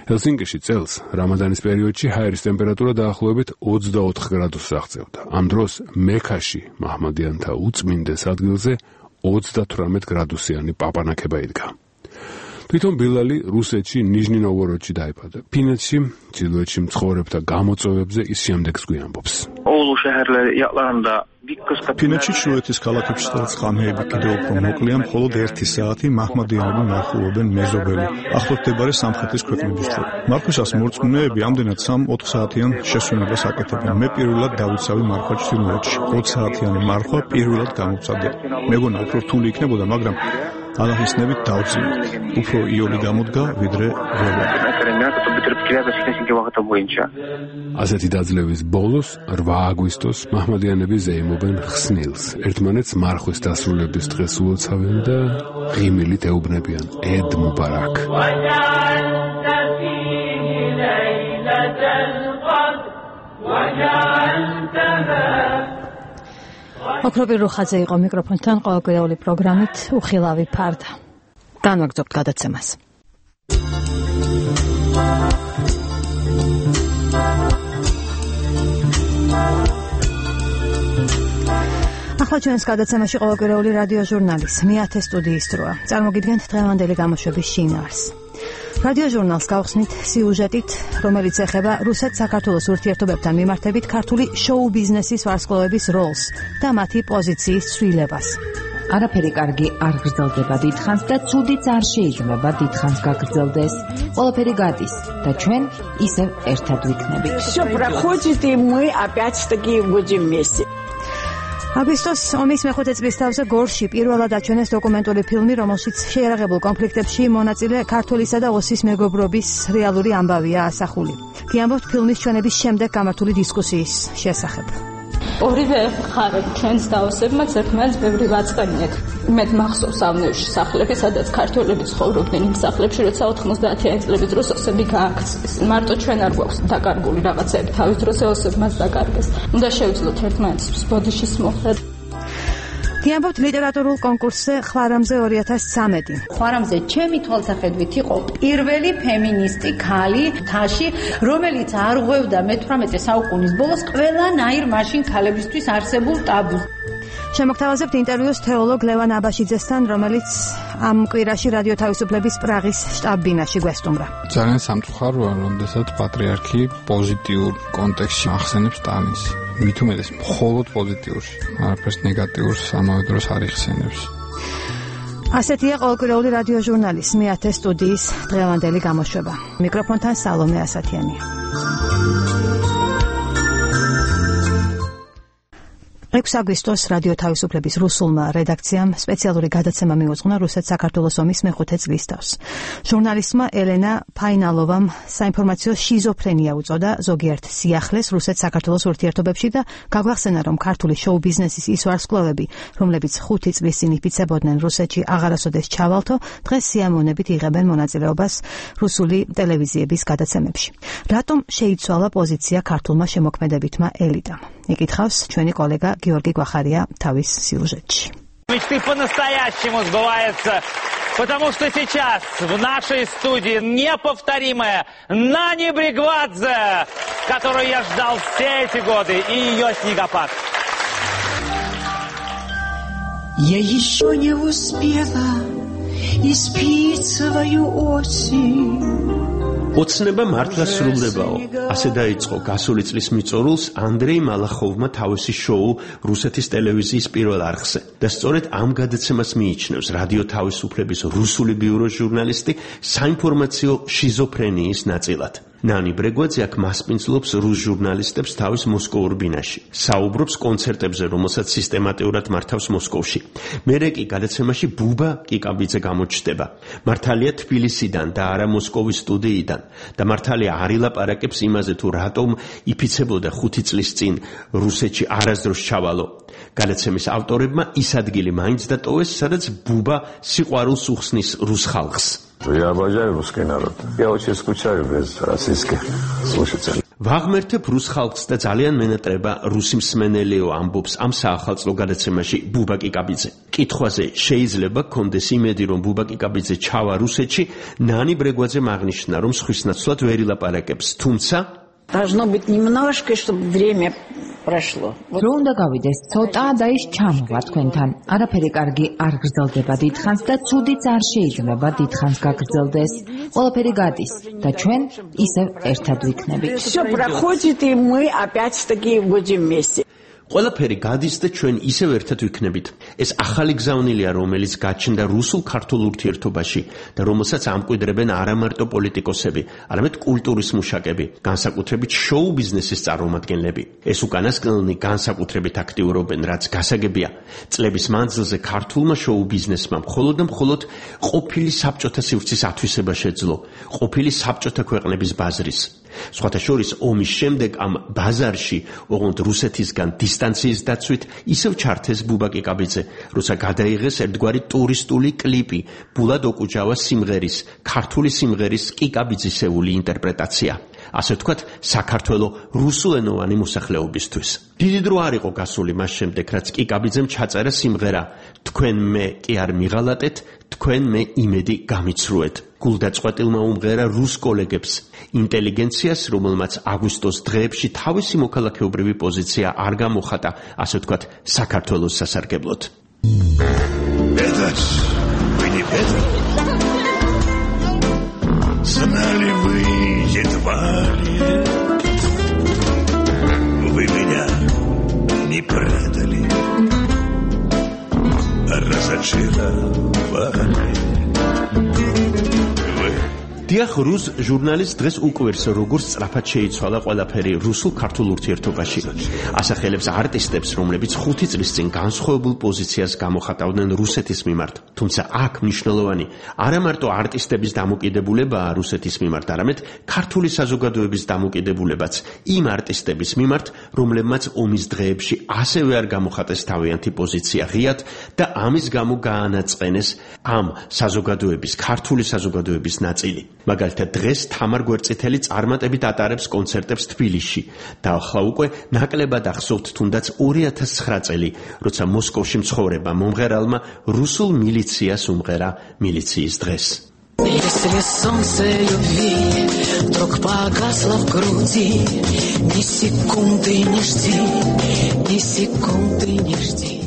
ჰელსინკიში წელს რამადანის პერიოდში ჰაერის ტემპერატურა დაახლოებით 24 გრადუსს აღწევდა. ამ დროს მექაში მაჰმადიანთა უწმინდეს ადგილზე 38 გრადუსიანი პაპანაქება იდგა. თვითონ ბილალი რუსეთში ნიჟნი-ნოვგოროდში დაიბადა. ფინეთში, ჩრდილოეთში მცხოვრებთა გამოწვევებზე ის შემდეგს გვიამბობს. ფინეთში ჩრდილოეთის ქალაქებში, სადაც ღამეები კიდევ უფრო მოკლეა, მხოლოდ 1 საათი მაჰმადიანები მარხულობენ მეზობელი, ახლოსდებარე სამხრეთის ქვეყნების შორის. მარხვისას მორწმუნეები ამდენად 3-4 საათიან შესვენებას აკეთებენ. მე პირველად დავიცავი მარხვა ჩრდილოეთში. 20 საათიანი მარხვა პირველად გამოვცადე. მეგონა უფრო რთული იქნებოდა, მაგრამ ალაჰისნებით დავძინეთ. უფრო იოლი გამოდგა, ვიდრე ველა. ასეთი დაძლევის ბოლოს 8 აგვისტოს მაჰმადიანები ზეიმობენ ხსნილს. ერთმანეთს მარხვის დასრულების დღეს უოცავენ და ღიმილით ეუბნებიან ედ მუბარაკ. ოქროპირ რუხაძე იყო მიკროფონთან ყოველკვირეული პროგრამით უხილავი ფარდა. განვაგრძობთ გადაცემას. ახლა ჩვენს გადაცემაში ყოველკვირეული რადიო ჟურნალის მეათე სტუდიის დროა. წარმოგიდგენთ დღევანდელი გამოშვების შინაარსს. რადიო ჟურნალს გავხსნით სიუჟეტით, რომელიც ეხება რუსეთ-საქართველოს ურთიერთობებთან მიმართებით ქართული შოუ ბიზნესის ვარსკვლავების როლს და მათი პოზიციის ცვლილებას. არაფერი კარგი არ გრძელდება დიდხანს და ცუდიც არ შეიძლება დიდხანს გაგრძელდეს. ყველაფერი გადის და ჩვენ ისევ ერთად ვიქნებით. Всё проходит и мы опять-таки будем вместе. აგვისტოს ომის მეხუთე წლის თავზე გორში პირველად აჩვენეს დოკუმენტური ფილმი, რომელშიც შეიარაღებულ კონფლიქტებში მონაწილე ქართველისა და ოსის მეგობრობის რეალური ამბავია ასახული. გიამბობთ ფილმის ჩვენების შემდეგ გამართული დისკუსიის შესახებ. ორივე მხარეს ჩვენს დაოსებმა ერთმანეთს ბევრი ვაწყენიეთ. მე მახსოვს ავნევში სახლები, სადაც ქართველები ცხოვრობდნენ იმ სახლებში, როცა 90-იანი წლების დროს ოსები გააქცეს. მარტო ჩვენ არ გვაქვს დაკარგული რაღაცები, თავის დროს ოსებმაც დაკარგეს. უნდა შევძლოთ ერთმანეთს ბოდიშის მოხდა. გიამბობთ ლიტერატურულ კონკურსზე ხვარამზე 2013. ხვარამზე ჩემი თვალსაჩინით იყო პირველი ფემინისტი ქალი თაში, რომელიც არ ღვევდა მე-18 საუკუნის ბოლოს ყველანაირ მაშინ ქალებისთვის არსებულ ტაბუს. შემოგთავაზებთ ინტერვიუს თეოლოგ ლევან აბაშიძესთან, რომელიც ამ კვირაში რადიო თავისუფლების პრაღის შტაბ-ბინაში გვესტუმრა. ძალიან სამწუხაროა, როდესაც პატრიარქი პოზიტიურ კონტექსტში ახსენებს ტანის. მით უმეტეს მხოლოდ პოზიტიურს, არაფერს ნეგატიურს ამავე დროს არ იხსენებს. ასეთია ყოველკვირეული რადიო ჟურნალის მეათე სტუდიის დღევანდელი გამოშვება. მიკროფონთან სალომე ასათიანია. 6 აგვისტოს რადიო თავისუფლების რუსულმა რედაქციამ სპეციალური გადაცემა მიუძღვნა რუსეთ-საქართველოს ომის მეხუთე წლის თავს. ჟურნალისტმა ელენა ფაინალოვამ საინფორმაციო შიზოფრენია უწოდა ზოგიერთ სიახლეს რუსეთ-საქართველოს ურთიერთობებში და გაგვახსენა, რომ ქართული შოუ ბიზნესის ის ვარსკვლავები, რომლებიც 5 წლის წინ იფიცებოდნენ რუსეთში აღარასოდეს ჩავალთო, დღეს სიამოვნებით იღებენ მონაწილეობას რუსული ტელევიზიების გადაცემებში. რატომ შეიცვალა პოზიცია ქართულმა შემოქმედებითმა ელიტამ? იკითხავს ჩვენი კოლეგა გიორგი გვახარია თავის сюжетში. Мечты по-настоящему сбываются, потому что сейчас в нашей студии неповторимая Нани Бригвадзе, которую я ждал все эти годы, и ее снегопад. Я еще не успела испить свою осень. ოცნება მართლა სრულდებაო. ასე დაიწყო გასული წლის მიწორულს ანდრეი მალახოვმა თავისი შოუ რუსეთის ტელევიზიის პირველ არხზე. და სწორედ ამ გადაცემას მიიჩნევს რადიო თავისუფლების რუსული ბიუროს ჟურნალისტი საინფორმაციო შიზოფრენიის ნაწილად. ნანი ბრეგვაძე აქ მასპინძლობს რუს ჟურნალისტებს თავის მოსკოვურ ბინაში. საუბრობს კონცერტებზე, რომელსაც სისტემატურად მართავს მოსკოვში. მერე კი გადაცემაში ბუბა კიკაბიძე გამოჩნდება. მართალია თბილისიდან და არა მოსკოვის სტუდიიდან. და მართალია არ ილაპარაკებს იმაზე, თუ რატომ იფიცებოდა 5 წლის წინ რუსეთში არასდროს ჩავალო. გადაცემის ავტორებმა ის ადგილი მაინც დატოვეს, სადაც ბუბა სიყვარულს უხსნის რუს ხალხს. Я обожаю русский народ. Я очень скучаю без российских слушателей. ვაღმერთებ რუს ხალხს და ძალიან მენატრება რუსი მსმენელიო ამბობს ამ საახალწლო გადაცემაში ბუბა კიკაბიძე. კითხვაზე შეიძლება გქონდეს იმედი, რომ ბუბა კიკაბიძე ჩავა რუსეთში, ნანი ბრეგვაძემ აღნიშნა, რომ სხვის ნაცვლად ვერ ილაპარაკებს, თუმცა Должно быть немножко, чтобы время прошло. რო უნდა გავიდეს ცოტა და ის ჩამოვა თქვენთან. არაფერი კარგი არ გრძელდება დიდხანს და ცუდიც არ შეიძლება დიდხანს გაგრძელდეს. ყველაფერი გადის და ჩვენ ისევ ერთად ვიქნებით. Всё проходит и мы опять-таки будем вместе. ყველაფერი გადის და ჩვენ ისევ ერთად ვიქნებით. ეს ახალი გზავნილია, რომელიც გაჩნდა რუსულ-ქართულ ურთიერთობაში და რომელსაც ამკვიდრებენ არა მარტო პოლიტიკოსები, არამედ კულტურის მუშაკები, განსაკუთრებით შოუ ბიზნესის წარმომადგენლები. ეს უკანასკნელნი განსაკუთრებით აქტიურობენ, რაც გასაგებია. წლების მანძილზე ქართულმა შოუ ბიზნესმა მხოლოდ და მხოლოდ ყოფილი საბჭოთა სივრცის ათვისება შეძლო, ყოფილი საბჭოთა ქვეყნების ბაზრის. სხვათა შორის ომის შემდეგ ამ ბაზარში, ოღონდ რუსეთისგან დისტანციის დაცვით, ისევ ჩართეს ბუბაკი კაბიძე, როცა გადაიღეს ერთგვარი ტურისტული კლიპი, ბულად ოკუჯავა სიმღერის, ქართული სიმღერის კიკაბიძისეული ინტერპრეტაცია. ასე ვთქვათ, საქართველოს რუსულენოვანი მოსახლეობისთვის. დიდი დრო არ იყო გასული მას შემდეგ, რაც კიკაბიძემ ჩაწერა სიმღერა თქვენ მე კი არ მიღალატეთ, თქვენ მე იმედი გამიცრუეთ. გულდაწყვეტილმა უმღერა რუს კოლეგებს, ინტელიგენციას, რომელმაც აგვისტოს დღეებში თავისი მოქალაქეობრივი პოზიცია არ გამოხატა, ასე ვთქვათ, საქართველოს სასარგებლოდ. Знали вы едва ли, вы меня не предали, разочаровали. დიახ, რუს ჟურნალის დღეს უკვირს, როგორც სწრაფად შეიცვალა ყველაფერი რუსულ-ქართულ ურთიერთობაში. ასახელებს არტისტებს, რომლებიც 5 წლის წინ განსხვავებულ პოზიციას გამოხატავდნენ რუსეთის მიმართ. თუმცა აქ მნიშვნელოვანი არა მარტო არტისტების დამოკიდებულებაა რუსეთის მიმართ, არამედ ქართული საზოგადოების დამოკიდებულებაც იმ არტისტების მიმართ, რომლებმაც ომის დღეებში ასევე არ გამოხატეს თავიანთი პოზიცია ღიად და ამის გამო გაანაწყენეს ამ საზოგადოების, ქართული საზოგადოების ნაწილი. მაგალითად დღეს თამარ გვერწითელი წარმატებით ატარებს კონცერტებს თბილისში და ახლა უკვე ნაკლებად ახსოვთ თუნდაც 2009 წელი, როცა მოსკოვში მცხოვრება მომღერალმა რუსულ მილიციას უმღერა მილიციის დღეს. Если солнце любви вдруг погасло в груди, ни секунды не жди, ни секунды не жди.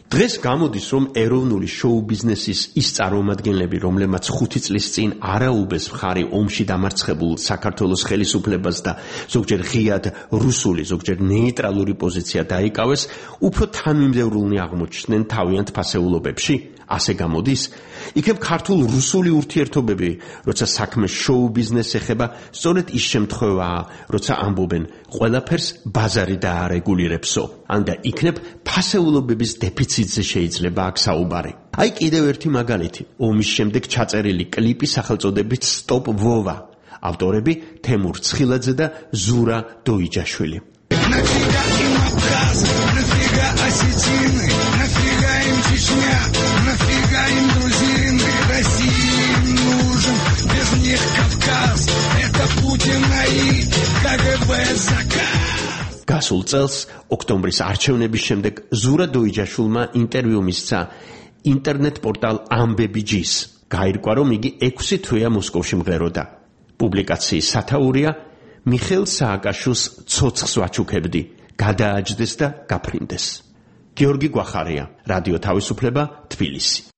დღეს გამოდის, რომ ეროვნული შოუ ბიზნესის ის წარმომადგენლები, რომლებმაც 5 წლის წინ არაუბეს მხარი ომში დამარცხებულ საქართველოს ხელისუფლებას და ზოგჯერ ღიად რუსული, ზოგჯერ ნეიტრალური პოზიცია დაიკავეს, უფრო თანმიმდევრულნი აღმოჩნდნენ თავიანთ ფასეულობებში. ასე გამოდის, იქნებ ქართულ-რუსული ურთიერთობები, როცა საქმე შოუ ბიზნესს ეხება, სწორედ ის შემთხვევაა, როცა ამბობენ, ყველაფერს ბაზარი დაარეგულირებსო. ან და იქნებ ფასეულობების დეფიციტზე შეიძლება აქ საუბარი. აი კიდევ ერთი მაგალითი, ომის შემდეგ ჩაწერილი კლიპი სახელწოდებით Stop Vova. ავტორები თემურ ცხილაძე და ზურა დოიჯაშვილი. Нафига им грузины, России нужен, без них Кавказ, это Путина и КГБ заказ. გასულ წელს, ოქტომბრის არჩევნების შემდეგ, ზურა დოიჯაშვილმა ინტერვიუ მისცა ინტერნეტ პორტალ Ambebijis. გაირკვა, რომ იგი 6 თვეა მოსკოვში მღეროდა. პუბლიკაციის სათაურია მიხეილ სააკაშვილს ცოცხს ვაჩუქებდი, გადააჯდეს და გაფრინდეს. გიორგი გვახარია, რადიო თავისუფლება, თბილისი.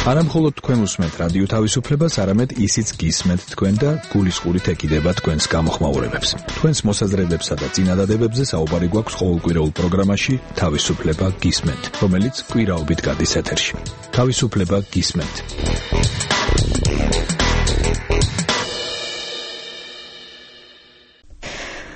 არა მხოლოდ თქვენ უსმენთ რადიო თავისუფლებას, არამედ ისიც გისმენთ თქვენ და გულისყურით ეკიდება თქვენს გამოხმაურებებს. თქვენს მოსაზრებებსა და წინადადებებზე საუბარი გვაქვს ყოველკვირეულ პროგრამაში თავისუფლება გისმენთ, რომელიც კვირაობით გადის ეთერში. თავისუფლება გისმენთ.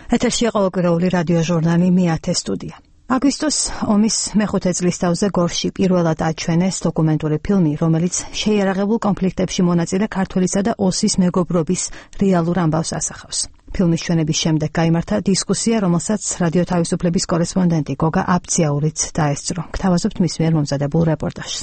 ეთერში ყოველკვირეული რადიო ჟურნალი მეათე სტუდია. აგვისტოს ომის მეხუთე წლისთავზე გორში პირველად აჩვენეს დოკუმენტური ფილმი, რომელიც შეიარაღებულ კონფლიქტებში მონაწილე ქართველისა და ოსის მეგობრობის რეალურ ამბავს ასახავს. ფილმის ჩვენების შემდეგ გაიმართა დისკუსია, რომელსაც რადიო თავისუფლების კორესპონდენტი გოგა აბციაურიც დაესწრო. გთავაზობთ მის მიერ მომზადებულ რეპორტაჟს.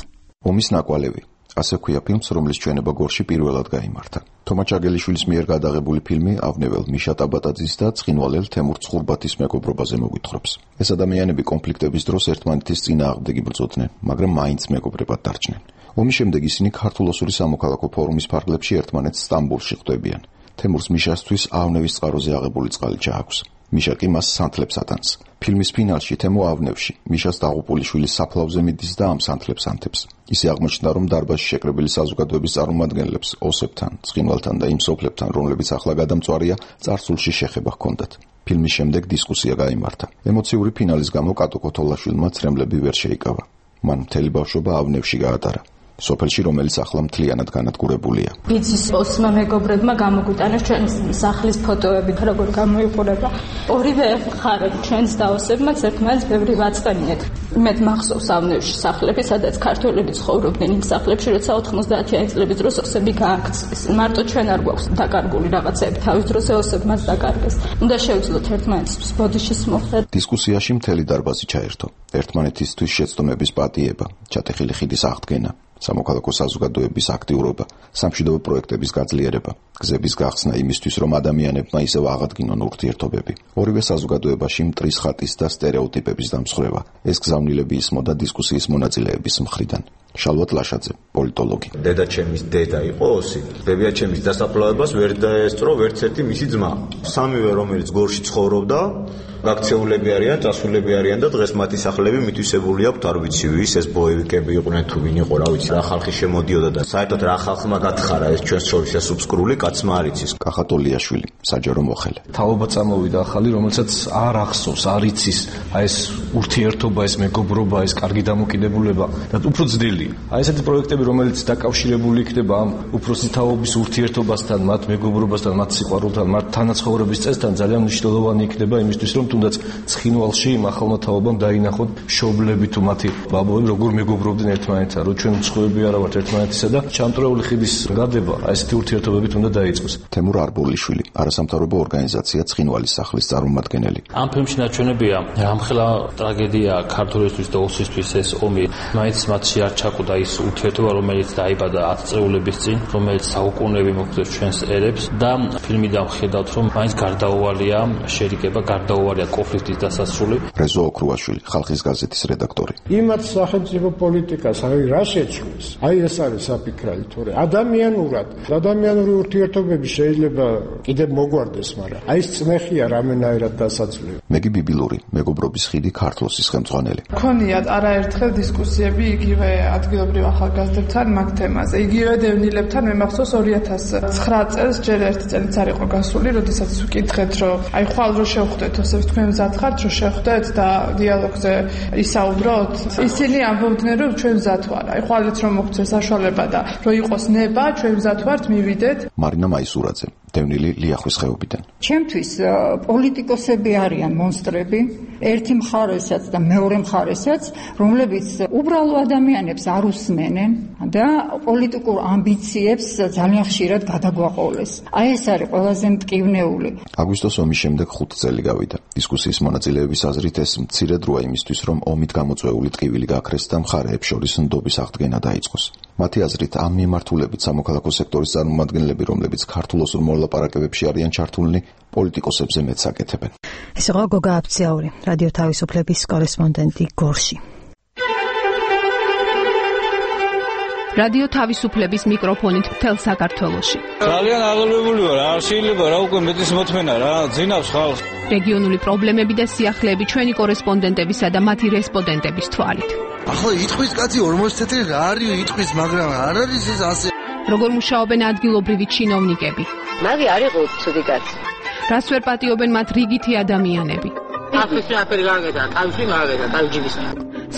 ომის ნაკვალევი. ასე ქვია ფილმს, რომლის ჩვენება გორში პირველად გაიმართა. თომა ჩაგელიშვილის მიერ გადაღებული ფილმი ავნებელ მიშა ტაბატაძის და ცხინვალელ თემურ ცხურბათის მეგობრობაზე მოგვითხრობს. ეს ადამიანები კონფლიქტების დროს ერთმანეთის წინააღმდეგი ბრძოდნენ, მაგრამ მაინც მეგობრებად დარჩნენ. ომის შემდეგ ისინი ქართულ-ოსური სამოქალაქო ფორუმის ფარგლებში ერთმანეთს სტამბოლში ხვდებიან. თემურს მიშასთვის ავნევის წყაროზე აღებული წყალი ჩააქვს. მიშა კი მას სანთლებს ატანს. ფილმის ფინალში თემო ავნევში მიშას დაღუპულიშვილის საფლავზე მიდის და ამ სანთლებს ანთებს. ისე აღმოჩნდა, რომ დარბაზში შეკრებილი საზოგადოების წარმომადგენლებს ოსებთან, ცხინვალთან და იმ სოფლებთან, რომლებიც ახლა გადამწვარია, წარსულში შეხება ჰქონდათ. ფილმის შემდეგ დისკუსია გაიმართა. ემოციური ფინალის გამო კატო ქოთოლაშვილმა ცრემლები ვერ შეიკავა. მან მთელი ბავშვობა ავნევში გაატარა. სოფელში, რომელიც ახლა მთლიანად განადგურებულია. იცის ოსმა მეგობრებმა გამოგვიტანეს ჩვენი სახლის ფოტოები, როგორ გამოიყურება. ორივე მხარე ჩვენს და ოსებმაც ერთმანეთს ბევრი ვაწყენიეთ. მე მახსოვს ავნევში სახლები, სადაც ქართველები ცხოვრობდნენ იმ სახლებში, როცა 90-იანი წლების დროს ოსები გააქცეს. მარტო ჩვენ არ გვაქვს დაკარგული რაღაცები, თავის დროზე ოსებმაც დაკარგეს. უნდა შევძლოთ ერთმანეთს ბოდიშის მოხდა. დისკუსიაში მთელი დარბაზი ჩაერთო. ერთმანეთისთვის შეცდომების პატიება, ჩატეხილი ხიდის აღდგენა, სამოქალაქო საზოგადოების აქტიურობა, სამშვიდობო პროექტების გაძლიერება, გზების გახსნა იმისთვის, რომ ადამიანებმა ისევ აღადგინონ ურთიერთობები. ორივე საზოგადოებაში მტრის ხატის და სტერეოტიპების დამსხვრევა. ეს გზავნილები ისმოდა დისკუსიის მონაწილეების მხრიდან. შალვა ტლაშაძე, პოლიტოლოგი. დედაჩემის დედა იყო ოსი. ბებიაჩემის დასაფლავებას ვერ დაესწრო ვერც ერთი მისი ძმა. სამივე, რომელიც გორში ცხოვრობდა, გაქცეულები არიან, წასულები არიან და დღეს მათი სახლები მითვისებული აქვთ, არ ვიცი ვის, ეს ბოევიკები იყვნენ თუ ვინ იყო, რა ვიცი, რა ხალხი შემოდიოდა და საერთოდ რა ხალხმა გათხარა ეს ჩვენს შორის ეს უბსკრული კაცმა არ იცის. კახატოლიაშვილი, საჯარო მოხელე. თაობა წამოვიდა ახალი, რომელსაც არ ახსოვს, არ იცის აი ეს ურთიერთობა, ეს მეგობრობა, ეს კარგი დამოკიდებულება და უფრო ძნელია. აი ესეთი პროექტები, რომელიც დაკავშირებული იქნება ამ უფროსი თაობის ურთიერთობასთან, მათ მეგობრობასთან, მათ სიყვარულთან, მათ თანაცხოვრების წესთან ძალიან მნიშვნელოვანი იქნება იმისთვის, რომ თუნდაც ცხინვალში იმ ახალმა თაობამ დაინახოთ მშობლები თუ მათი ბაბუები როგორ მეგობრობდნენ ერთმანეთთან, რომ ჩვენ მსხვერპლები არა ვართ ერთმანეთისა და ჩამწრეული ხიდის გადება აი ესეთი ურთიერთობებით უნდა დაიწყოს. თემურ არბოლიშვილი, არასამთავრობო ორგანიზაცია ცხინვალის სახლის წარმომადგენელი. ამ ფილმში ნაჩვენებია რამხელა ტრაგედია ქართველისთვის და ოსისთვის ეს ომი, მაინც მათში არ ჩაკვდა ის ურთიერთობა, რომელიც დაიბადა 10 წლების წინ, რომელიც საუკუნეები მოგვწევს ჩვენს ერებს და ფილმიდან ვხედავთ, რომ მაინც გარდაუვალია შერიგება, გარდაუვალია კონფლიქტის დასასრული. რეზო ოქრუაშვილი, ხალხის გაზეთის რედაქტორი. იმათ სახელმწიფო პოლიტიკას რა შეცვლის? აი ეს არის საფიქრალი, თორე ადამიანური ურთიერთობები შეიძლება კიდევ მოგვარდეს, მაგრამ აი ეს წნეხია რამენაირად დასაძლევი. მეგი ბიბილური, მეგობრობის ხიდი ქართლოსის ხელმძღვანელი. ქონიათ არაერთხელ დისკუსიები იგივე ადგილობრივ ახალგაზრდებთან მაგ თემაზე. იგივე დევნილებთან მე მახსოვს 2009 წელს ჯერ ერთი წელიც არ იყო გასული, როდესაც ვკითხეთ, რომ აი ხვალ რო შევხვდეთ, ოსებს თქვენ მზად ხართ, რომ შევხვდეთ და დიალოგზე ისაუბროთ. ისინი ამბობდნენ, რომ ჩვენ მზად ვარ. აი ხვალეთ რომ მოგწეს საშუალება და რო იყოს ნება, ჩვენ მზად ვართ, მივიდეთ. მარინა მაისურაძე, დევნილი ლიახვის ხეობიდან. ჩემთვის პოლიტიკოსები არიან მონსტრები, ერთი მხარესაც და მეორე მხარესაც, რომლებიც უბრალო ადამიანებს არ უსმენენ და პოლიტიკურ ამბიციებს ძალიან ხშირად გადაგვაყოლეს. აი ეს არის ყველაზე მტკივნეული. აგვისტოს ომის შემდეგ 5 წელი გავიდა. დისკუსიის მონაწილეების აზრით ეს მცირე დროა იმისთვის, რომ ომით გამოწვეული ტკივილი გაქრეს და მხარეებს შორის ნდობის აღდგენა დაიწყოს. მათი აზრით ამ მიმართულებით სამოქალაქო სექტორის წარმომადგენლები, რომლებიც ქართულ ოსურ მოლაპარაკებებში არიან ჩართულნი, პოლიტიკოსებზე მეც აკეთებენ. ეს იყო გოგა აფციაური, რადიო თავისუფლების კორესპონდენტი გორში. რადიო თავისუფლების მიკროფონით მთელ საქართველოში. ძალიან აღელვებული ვარ, არ შეიძლება რა უკვე მეტის მოთმენა რა, ძინავს ხალხს. რეგიონული პრობლემები და სიახლეები ჩვენი კორესპონდენტებისა და მათი რესპონდენტების თვალით. ახლა იტყვის კაცი 40 წელი რა არის იტყვის, მაგრამ არ არის ეს ასე. როგორ მუშაობენ ადგილობრივი ჩინოვნიკები? მაგი არ იყო ცუდი კაცი. რას ვერ პატიობენ მათ რიგითი ადამიანები? ახლა აფერი გაგედა, თავში მაგედა, თავჯიბისა.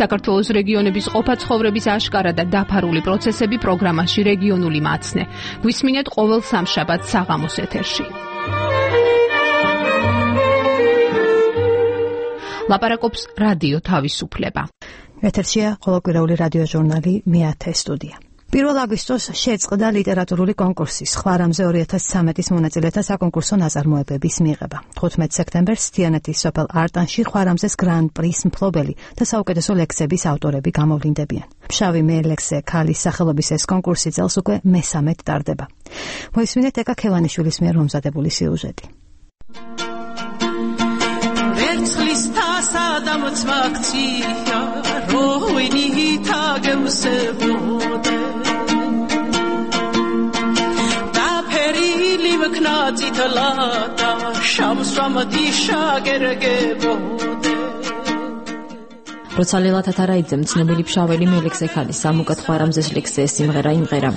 საქართველოს რეგიონების ყოფა-ცხოვრების აშკარა და დაფარული პროცესები პროგრამაში რეგიონული მაცნე. გვისმინეთ ყოველ სამშაბათს საღამოს ეთერში. ლაპარაკობს რადიო თავისუფლება. ეთერშია ყოველკვირეული რადიო ჟურნალი მეათე სტუდია. 1 აგვისტოს შეწყდა ლიტერატურული კონკურსი ხვარამზე 2013-ის მონაწილეთა საკონკურსო ნაწარმოებების მიღება. 15 სექტემბერს თიანეთის სოფელ არტანში ხვარამზეს გრან-პრის მფლობელი და საუკეთესო ლექსების ავტორები გამოვლინდებიან. ფშავი მელექსე ქალის სახელობის ეს კონკურსი წელს უკვე მესამედ ტარდება. მოისმინეთ ეკა ქევანიშვილის მიერ მომზადებული სიუჟეტი. ვერცხლის თასა და მოწვაქცია როინი თაგემსებოდე და ფერილი ვქნა წითლადა შამსვამდი შაგერგებოდე როცა ლელა თათარაიძემ ცნობილი ფშაველი მელექსე ქალის სამუკად ხვარამზეს ლექსზე სიმღერა იმღერა.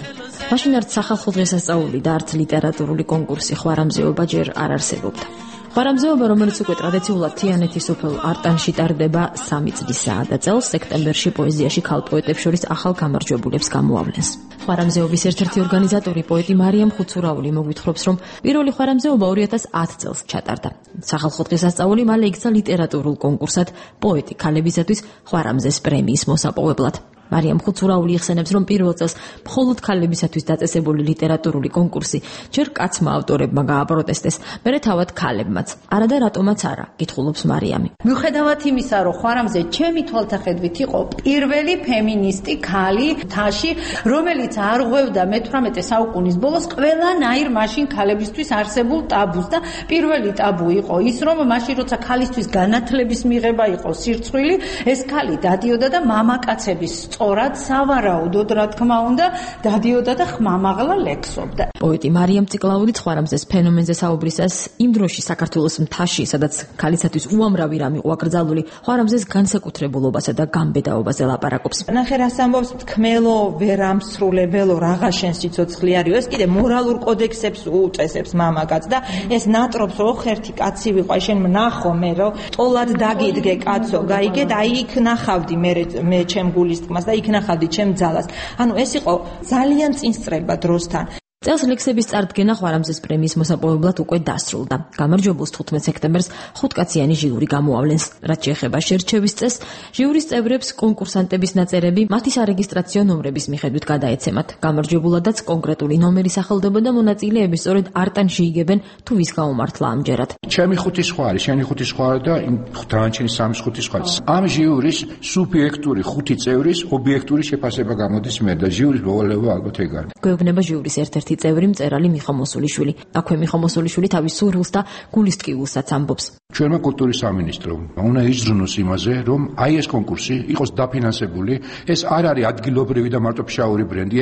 მაშინ არც სახალხო დღესასწაული და არც ლიტერატურული კონკურსი ხვარამზეობა ჯერ არ არსებობდა. ხვარამზეობა, რომელიც უკვე ტრადიციულად თიანეთის სოფელ არტანში ტარდება 3 წლისაა და წელს სექტემბერში პოეზიაში ქალ პოეტებს შორის ახალ გამარჯვებულებს გამოავლენს. ხვარამზეობის ერთ-ერთი ორგანიზატორი პოეტი მარიამ ხუცურაული მოგვითხრობს, რომ პირველი ხვარამზეობა 2010 წელს ჩატარდა. სახალხო დღესასწაული მალე იქცა ლიტერატურულ კონკურსად პოეტი ქალებისათვის ხვარამზეს პრემიის მოსაპოვებლად. მარიამ ხუცურაული იხსენებს, რომ პირველ წელს მხოლოდ ქალებისათვის დაწესებული ლიტერატურული კონკურსი ჯერ კაცმა ავტორებმა გააპროტესტეს, მერე თავად ქალებმაც. არა და რატომაც არა, კითხულობს მარიამი. მიუხედავად იმისა, რომ ხვარამზე ჩემი თვალთახედვით იყო პირველი ფემინისტი ქალი მთაში, რომელიც არ ღვევდა მე-18 საუკუნის ბოლოს ყველანაირ მაშინ ქალებისთვის არსებულ ტაბუს და პირველი ტაბუ იყო ის, რომ მაშინ როცა ქალისთვის განათლების მიღება იყო სირცხვილი, ეს ქალი დადიოდა და მამაკაცების სწორად სავარაუდოდ, რა თქმა უნდა, დადიოდა და ხმამაღლა ლექსობდა. პოეტი მარიამ ციკლაური ხვარამზეს ფენომენზე საუბრისას იმ დროში საქართველოს მთაში, სადაც ქალისათვის უამრავი რამ იყო აკრძალული, ხვარამზეს განსაკუთრებულობასა და გამბედაობაზე ლაპარაკობს. ნახე რას ამბობს, თქმელო ვერ ამსრულებელო რაღა შენ სიცოცხლე არისო, ეს კიდე მორალურ კოდექსებს უწესებს მამაკაც და ეს ნატრობს ოხერთი კაცი ვიყო, შენ ნახო მე რომ ტოლად დაგიდგე კაცო, გაიგე და აი იქ ნახავდი მე ჩემ გულისწყმას და იქ ნახავდი ჩემ ძალას. ანუ ეს იყო ძალიან წინსწრება დროსთან. წელს ლექსების წარდგენა ხვარამზეს პრემიის მოსაპოვებლად უკვე დასრულდა. გამარჯვებულს 15 სექტემბერს 5-კაციანი ჟიური გამოავლენს. რაც შეეხება შერჩევის წესს, ჟიურის წევრებს კონკურსანტების ნაწერები მათი სარეგისტრაციო ნომრების მიხედვით გადაეცემათ. გამარჯვებულადაც კონკრეტული ნომერი სახელდება და მონაწილეები სწორედ არტანში იგებენ თუ ვის გაუმართლა ამჯერად. ჩემი ხუთი სხვა არის, შენი ხუთი სხვა და იმ დანარჩენი სამი ხუთი სხვა. ამ ჟიურის სუბიექტური 5 წევრის ობიექტური შეფასება გამოდის მე და ჟიურის მოვალეობა ალბათ ეგ არის. გვეუბნება ჟიურის ერთ-ერთი წევრი მწერალი მიხო მოსულიშვილი. აქვე მიხო მოსულიშვილი თავის სურვილს და გულისტკივილსაც ამბობს. ჩვენმა კულტურის სამინისტრომ უნდა იზრუნოს იმაზე, რომ აი ეს კონკურსი იყოს დაფინანსებული, ეს არ არის ადგილობრივი და მარტო ფშაური ბრენდი,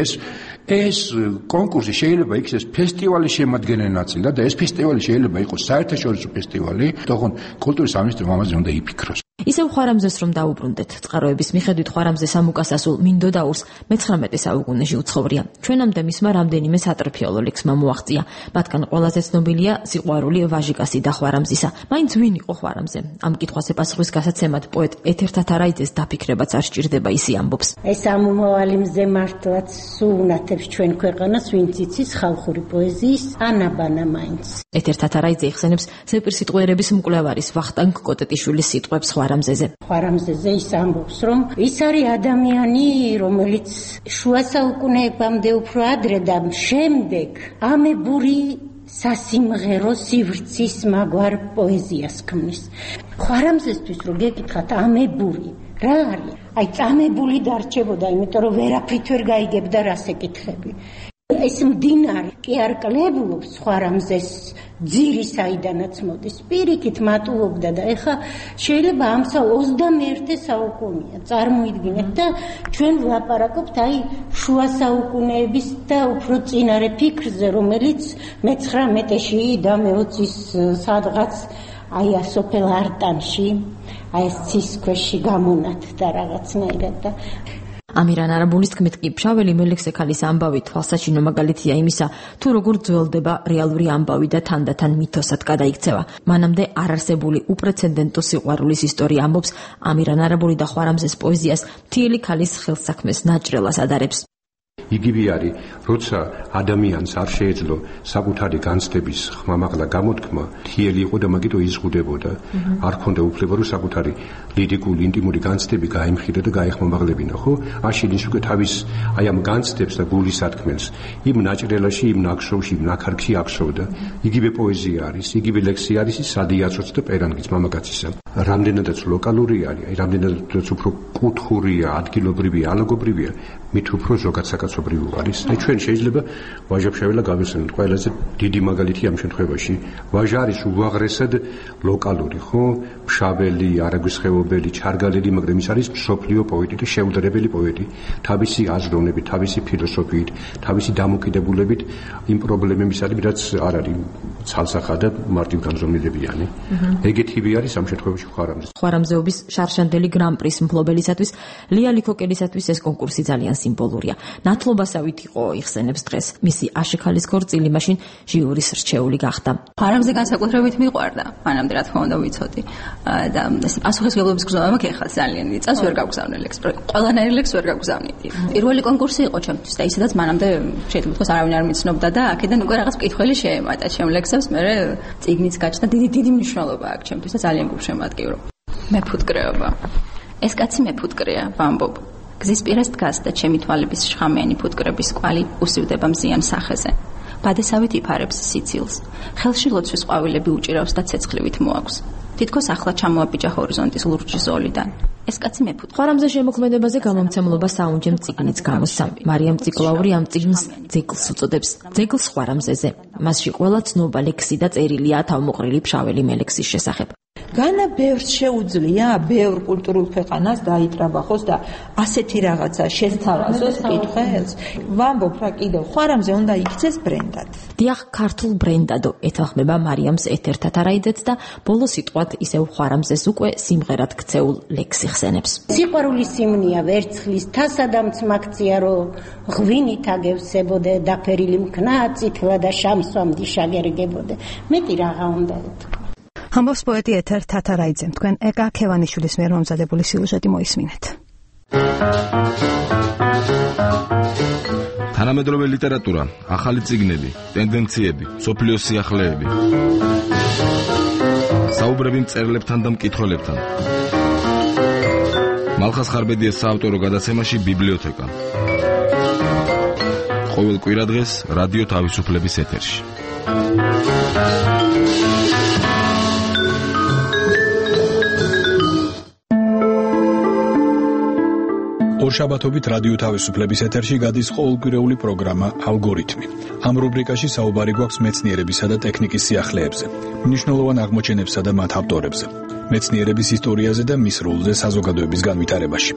ეს კონკურსი შეიძლება იქცეს ფესტივალის შემადგენელი ნაწილი და ეს ფესტივალი შეიძლება იყოს საერთაშორისო ფესტივალი, თქო კულტურის სამინისტრომ ამაზე უნდა იფიქროს. ისევ ხვარამზეს რომ დაუბრუნდეთ, წყაროების მიხედვით ხვარამზე სამუკასასულ მინდოდაურს მე-19 საუკუნეში უცხოვრია. ჩვენამდე მისმა რამდენიმე სატრფიალო ლექსმა მოაღწია. მათგან ყველაზე ცნობილია სიყვარული ვაჟიკასი და ხვარამზისა. მაინც ვინ იყო ხვარამზე? ამ კითხვას ეპასუხის გასაცემად პოეტ ეთერ თათარაიძეს დაფიქრებაც არ სჭირდება, ისე ამბობს. ეს ამომავალი მზე მართლაც სუუნათებს ჩვენ ქვეყანას, ვინც იცის ხალხური პოეზიის ანაბანა მაინც. ეთერ თათარაიძე იხსენებს ზეპირსიტყვიერების მკვლევარის ვახტანგ კოტეტიშვილის სიტყვებს ხვარამზეზე. ხვარამზეზე ის ამბობს, რომ ის არის ადამიანი, რომელიც შუა საუკუნეებამდე უფრო ადრე და შემდეგ ამებური სასიმღერო სივრცის მაგვარ პოეზიას ქმნის. ხვარამზესთვის რო გეკითხათ ამებური რა არის? აი წამებული დარჩებოდა, იმიტომ რომ ვერაფრით ვერ გაიგებდა რას ეკითხები. ეს მდინარე კი არ კლებულობს ხვარამზეს ძირი საიდანაც მოდის, პირიქით მატულობდა და ეხა შეიძლება ამ 21 საუკუნეა წარმოიდგინეთ და ჩვენ ვლაპარაკობთ აი შუა საუკუნეების და უფრო წინარე ფიქრზე, რომელიც მე-19-ში და მე-20-ის სადღაც აი ასოფელ არტანში აი ეს ცის ქვეში გამონათდა რაღაცნაირად და ამირან არაბულის თქმით კი ფშაველი მელექსე ქალის ამბავი თვალსაჩინო მაგალითია იმისა, თუ როგორ ძველდება რეალური ამბავი და თანდათან მითოსად გადაიქცევა. მანამდე არარსებული უპრეცედენტო სიყვარულის ისტორია ამბობს ამირან არაბული და ხვარამზეს პოეზიას მთიელი ქალის ხელსაქმეს ნაჭრელას ადარებს. იგივე არის, როცა ადამიანს არ შეეძლო საკუთარი განცდების ხმამაღლა გამოთქმა, მთიელი იყო და მაგიტო იზღუდებოდა. არ ქონდა უფლება, რომ საკუთარი ლირიკული, ინტიმური განცდები გაემხირა და გაეხმამაღლებინა, ხო? აშენ ის უკვე თავის აი ამ განცდებს და გულის სათქმელს იმ ნაჭრელაში, იმ ნაკშოვში, იმ ნაქარგში აღშოვდა. იგივე პოეზია არის, იგივე ლექსი არის ის სადიაცოც და პერანგიც მამაკაცისა. რამდენადაც ლოკალური არის, აი რამდენადაც უფრო კუთხურია, ადგილობრივია, ალაგობრივია, მით უფრო ზოგად საკაცობრიო არის. აი ჩვენ შეიძლება ვაჟა-ფშაველა გავიხსენოთ ყველაზე დიდი მაგალითი ამ შემთხვევაში. ვაჟა არის უაღრესად ლოკალური, ხო? ფშაველი, არაგვის ხეობელი, ჩარგალელი, მაგრამ ის არის მსოფლიო პოეტი და შეუდარებელი პოეტი. თავისი აზროვნებით, თავისი ფილოსოფიით, თავისი დამოკიდებულებით იმ პრობლემების არის, რაც არ არის ცალსახა და მარტივ განზომილებიანი. ეგეთივე არის ამ შემთხვევაში ხვარამზე. ხვარამზეობის შარშანდელი გრან-პრის მფლობელისათვის ლია ლიქოკელისათვის ეს კონკურსი ძალიან სიმბოლურია. ნათლობასავით იყო იხსენებს დღეს. მისი აშექალის ქორწილი მაშინ ჟიურის რჩეული გახდა. ხვარამზე განსაკუთრებით მიყვარდა. მანამდე რა თქმა უნდა ვიცოდი. და ეს პასუხისმგებლობის გზნობა მაქვს ახლა ძალიან დიდი წელს ვერ გავგზავნე ლექს. ყველანაირი ლექს ვერ გავგზავნიდი. პირველი კონკურსი იყო ჩემთვის და ისედაც მანამდე შეიძლება ვთქვას არავინ არ მიცნობდა და აქედან უკვე რაღაც მკითხველი შეემატა ჩემ ლექსებს. მე წიგნიც გაჩნდა დიდი მნიშვნელობა აქვს ჩემთვის და ძალიან გულშემატკივრო. მეფუტკრეობა. ეს კაცი მეფუტკრეა, ვამბობ. გზის პირას დგას და ჩემი თვალების შხამიანი ფუტკრების კვალი უსივდება მზიან სახეზე. ბადესავით იფარებს სიცილს. ხელში ლოცვის ყვავილები უჭირავს და ცეცხლივით მოაქვს. თითქოს ახლა ჩამოაბიჯა ჰორიზონტის ლურჯი ზოლიდან. ეს კაცი მეფუტკრეა. ხვარამზე შემოქმედებაზე გამომცემლობა საუნჯემ წიგნიც გამოსცა. მარიამ ციკლაური ამ წიგნს ძეგლს უწოდებს. ძეგლს ხვარამზეზე. მასში ყველა ცნობა ლექსი და წერილია თავმოყრილი ფშაველი მელექსის შესახებ. განა ბევრს შეუძლია ბევრ კულტურულ ქვეყანას დაიტრაბახოს და ასეთი რაღაცა შესთავაზოს კითხველს. ვამბობ რა კიდევ ხვარამზე უნდა იქცეს ბრენდად. დიახ, ქართულ ბრენდადო ეთანხმება მარიამს ეთერ თათარაიძეც და ბოლო სიტყვად ისევ ხვარამზეს უკვე სიმღერად ქცეულ ლექსი ხსენებს. სიყვარულის სიმნია ვერცხლის თასა და მცმაქცია რომ ღვინით აგევსებოდე დაფერილი მქნა წითლა და შამსვამდი შაგერგებოდე. მეტი რაღა უნდა ეთქვა. ამბობს პოეტი ეთერ თათარაიძემ. თქვენ ეკა ქევანიშვილის მიერ მომზადებული სიუჟეტი მოისმინეთ. თანამედროვე ლიტერატურა, ახალი წიგნები, ტენდენციები, სოფლიოს სიახლეები. საუბრები მწერლებთან და მკითხველებთან. მალხას ხარბედიას საავტორო გადაცემაში ბიბლიოთეკა. ყოველ კვირადღეს რადიო თავისუფლების ეთერში. ორშაბათობით რადიო თავისუფლების ეთერში გადის ყოველკვირეული პროგრამა ალგორითმი. ამ რუბრიკაში საუბარი გვაქვს მეცნიერებისა და ტექნიკის სიახლეებზე, მნიშვნელოვან აღმოჩენებსა და მათ ავტორებზე, მეცნიერების ისტორიაზე და მის როლზე საზოგადოების განვითარებაში.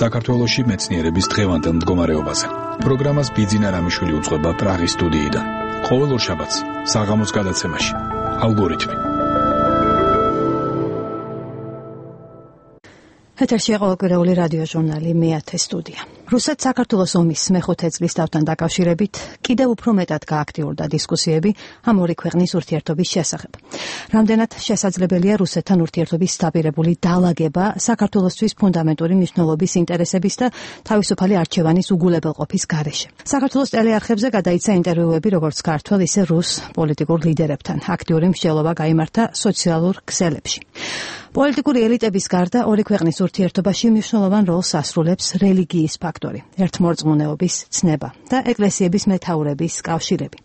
საქართველოში მეცნიერების დღევანდელ მდგომარეობაზე. პროგრამას ბიძინა რამიშვილი უძღვება პრაღის სტუდიიდან. ყოველ ორშაბათს საღამოს გადაცემაში ალგორითმი. ეთერში ყოველკვირეული რადიო ჟურნალი მეათე სტუდია. რუსეთ-საქართველოს ომის მეხუთე წლისთავთან დაკავშირებით კიდევ უფრო მეტად გააქტიურდა დისკუსიები ამ ორი ქვეყნის ურთიერთობის შესახებ. რამდენად შესაძლებელია რუსეთთან ურთიერთობის სტაბილურებული დალაგება საქართველოსთვის ფუნდამენტური მნიშვნელობის ინტერესების და თავისუფალი არჩევანის უგულებელყოფის გარეშე. საქართველოს ტელეარხებზე გადაიცა ინტერვიუები როგორც ქართველ, ისე რუს პოლიტიკურ ლიდერებთან. აქტიური მსჯელობა გაიმართა სოციალურ ქსელებში. პოლიტიკური ელიტების გარდა ორი ქვეყნის ურთიერთობაში მნიშვნელოვან როლს ასრულებს რელიგიის ფაქტორი, ერთმორწმუნეობის ცნება და ეკლესიების მეთაურების კავშირები.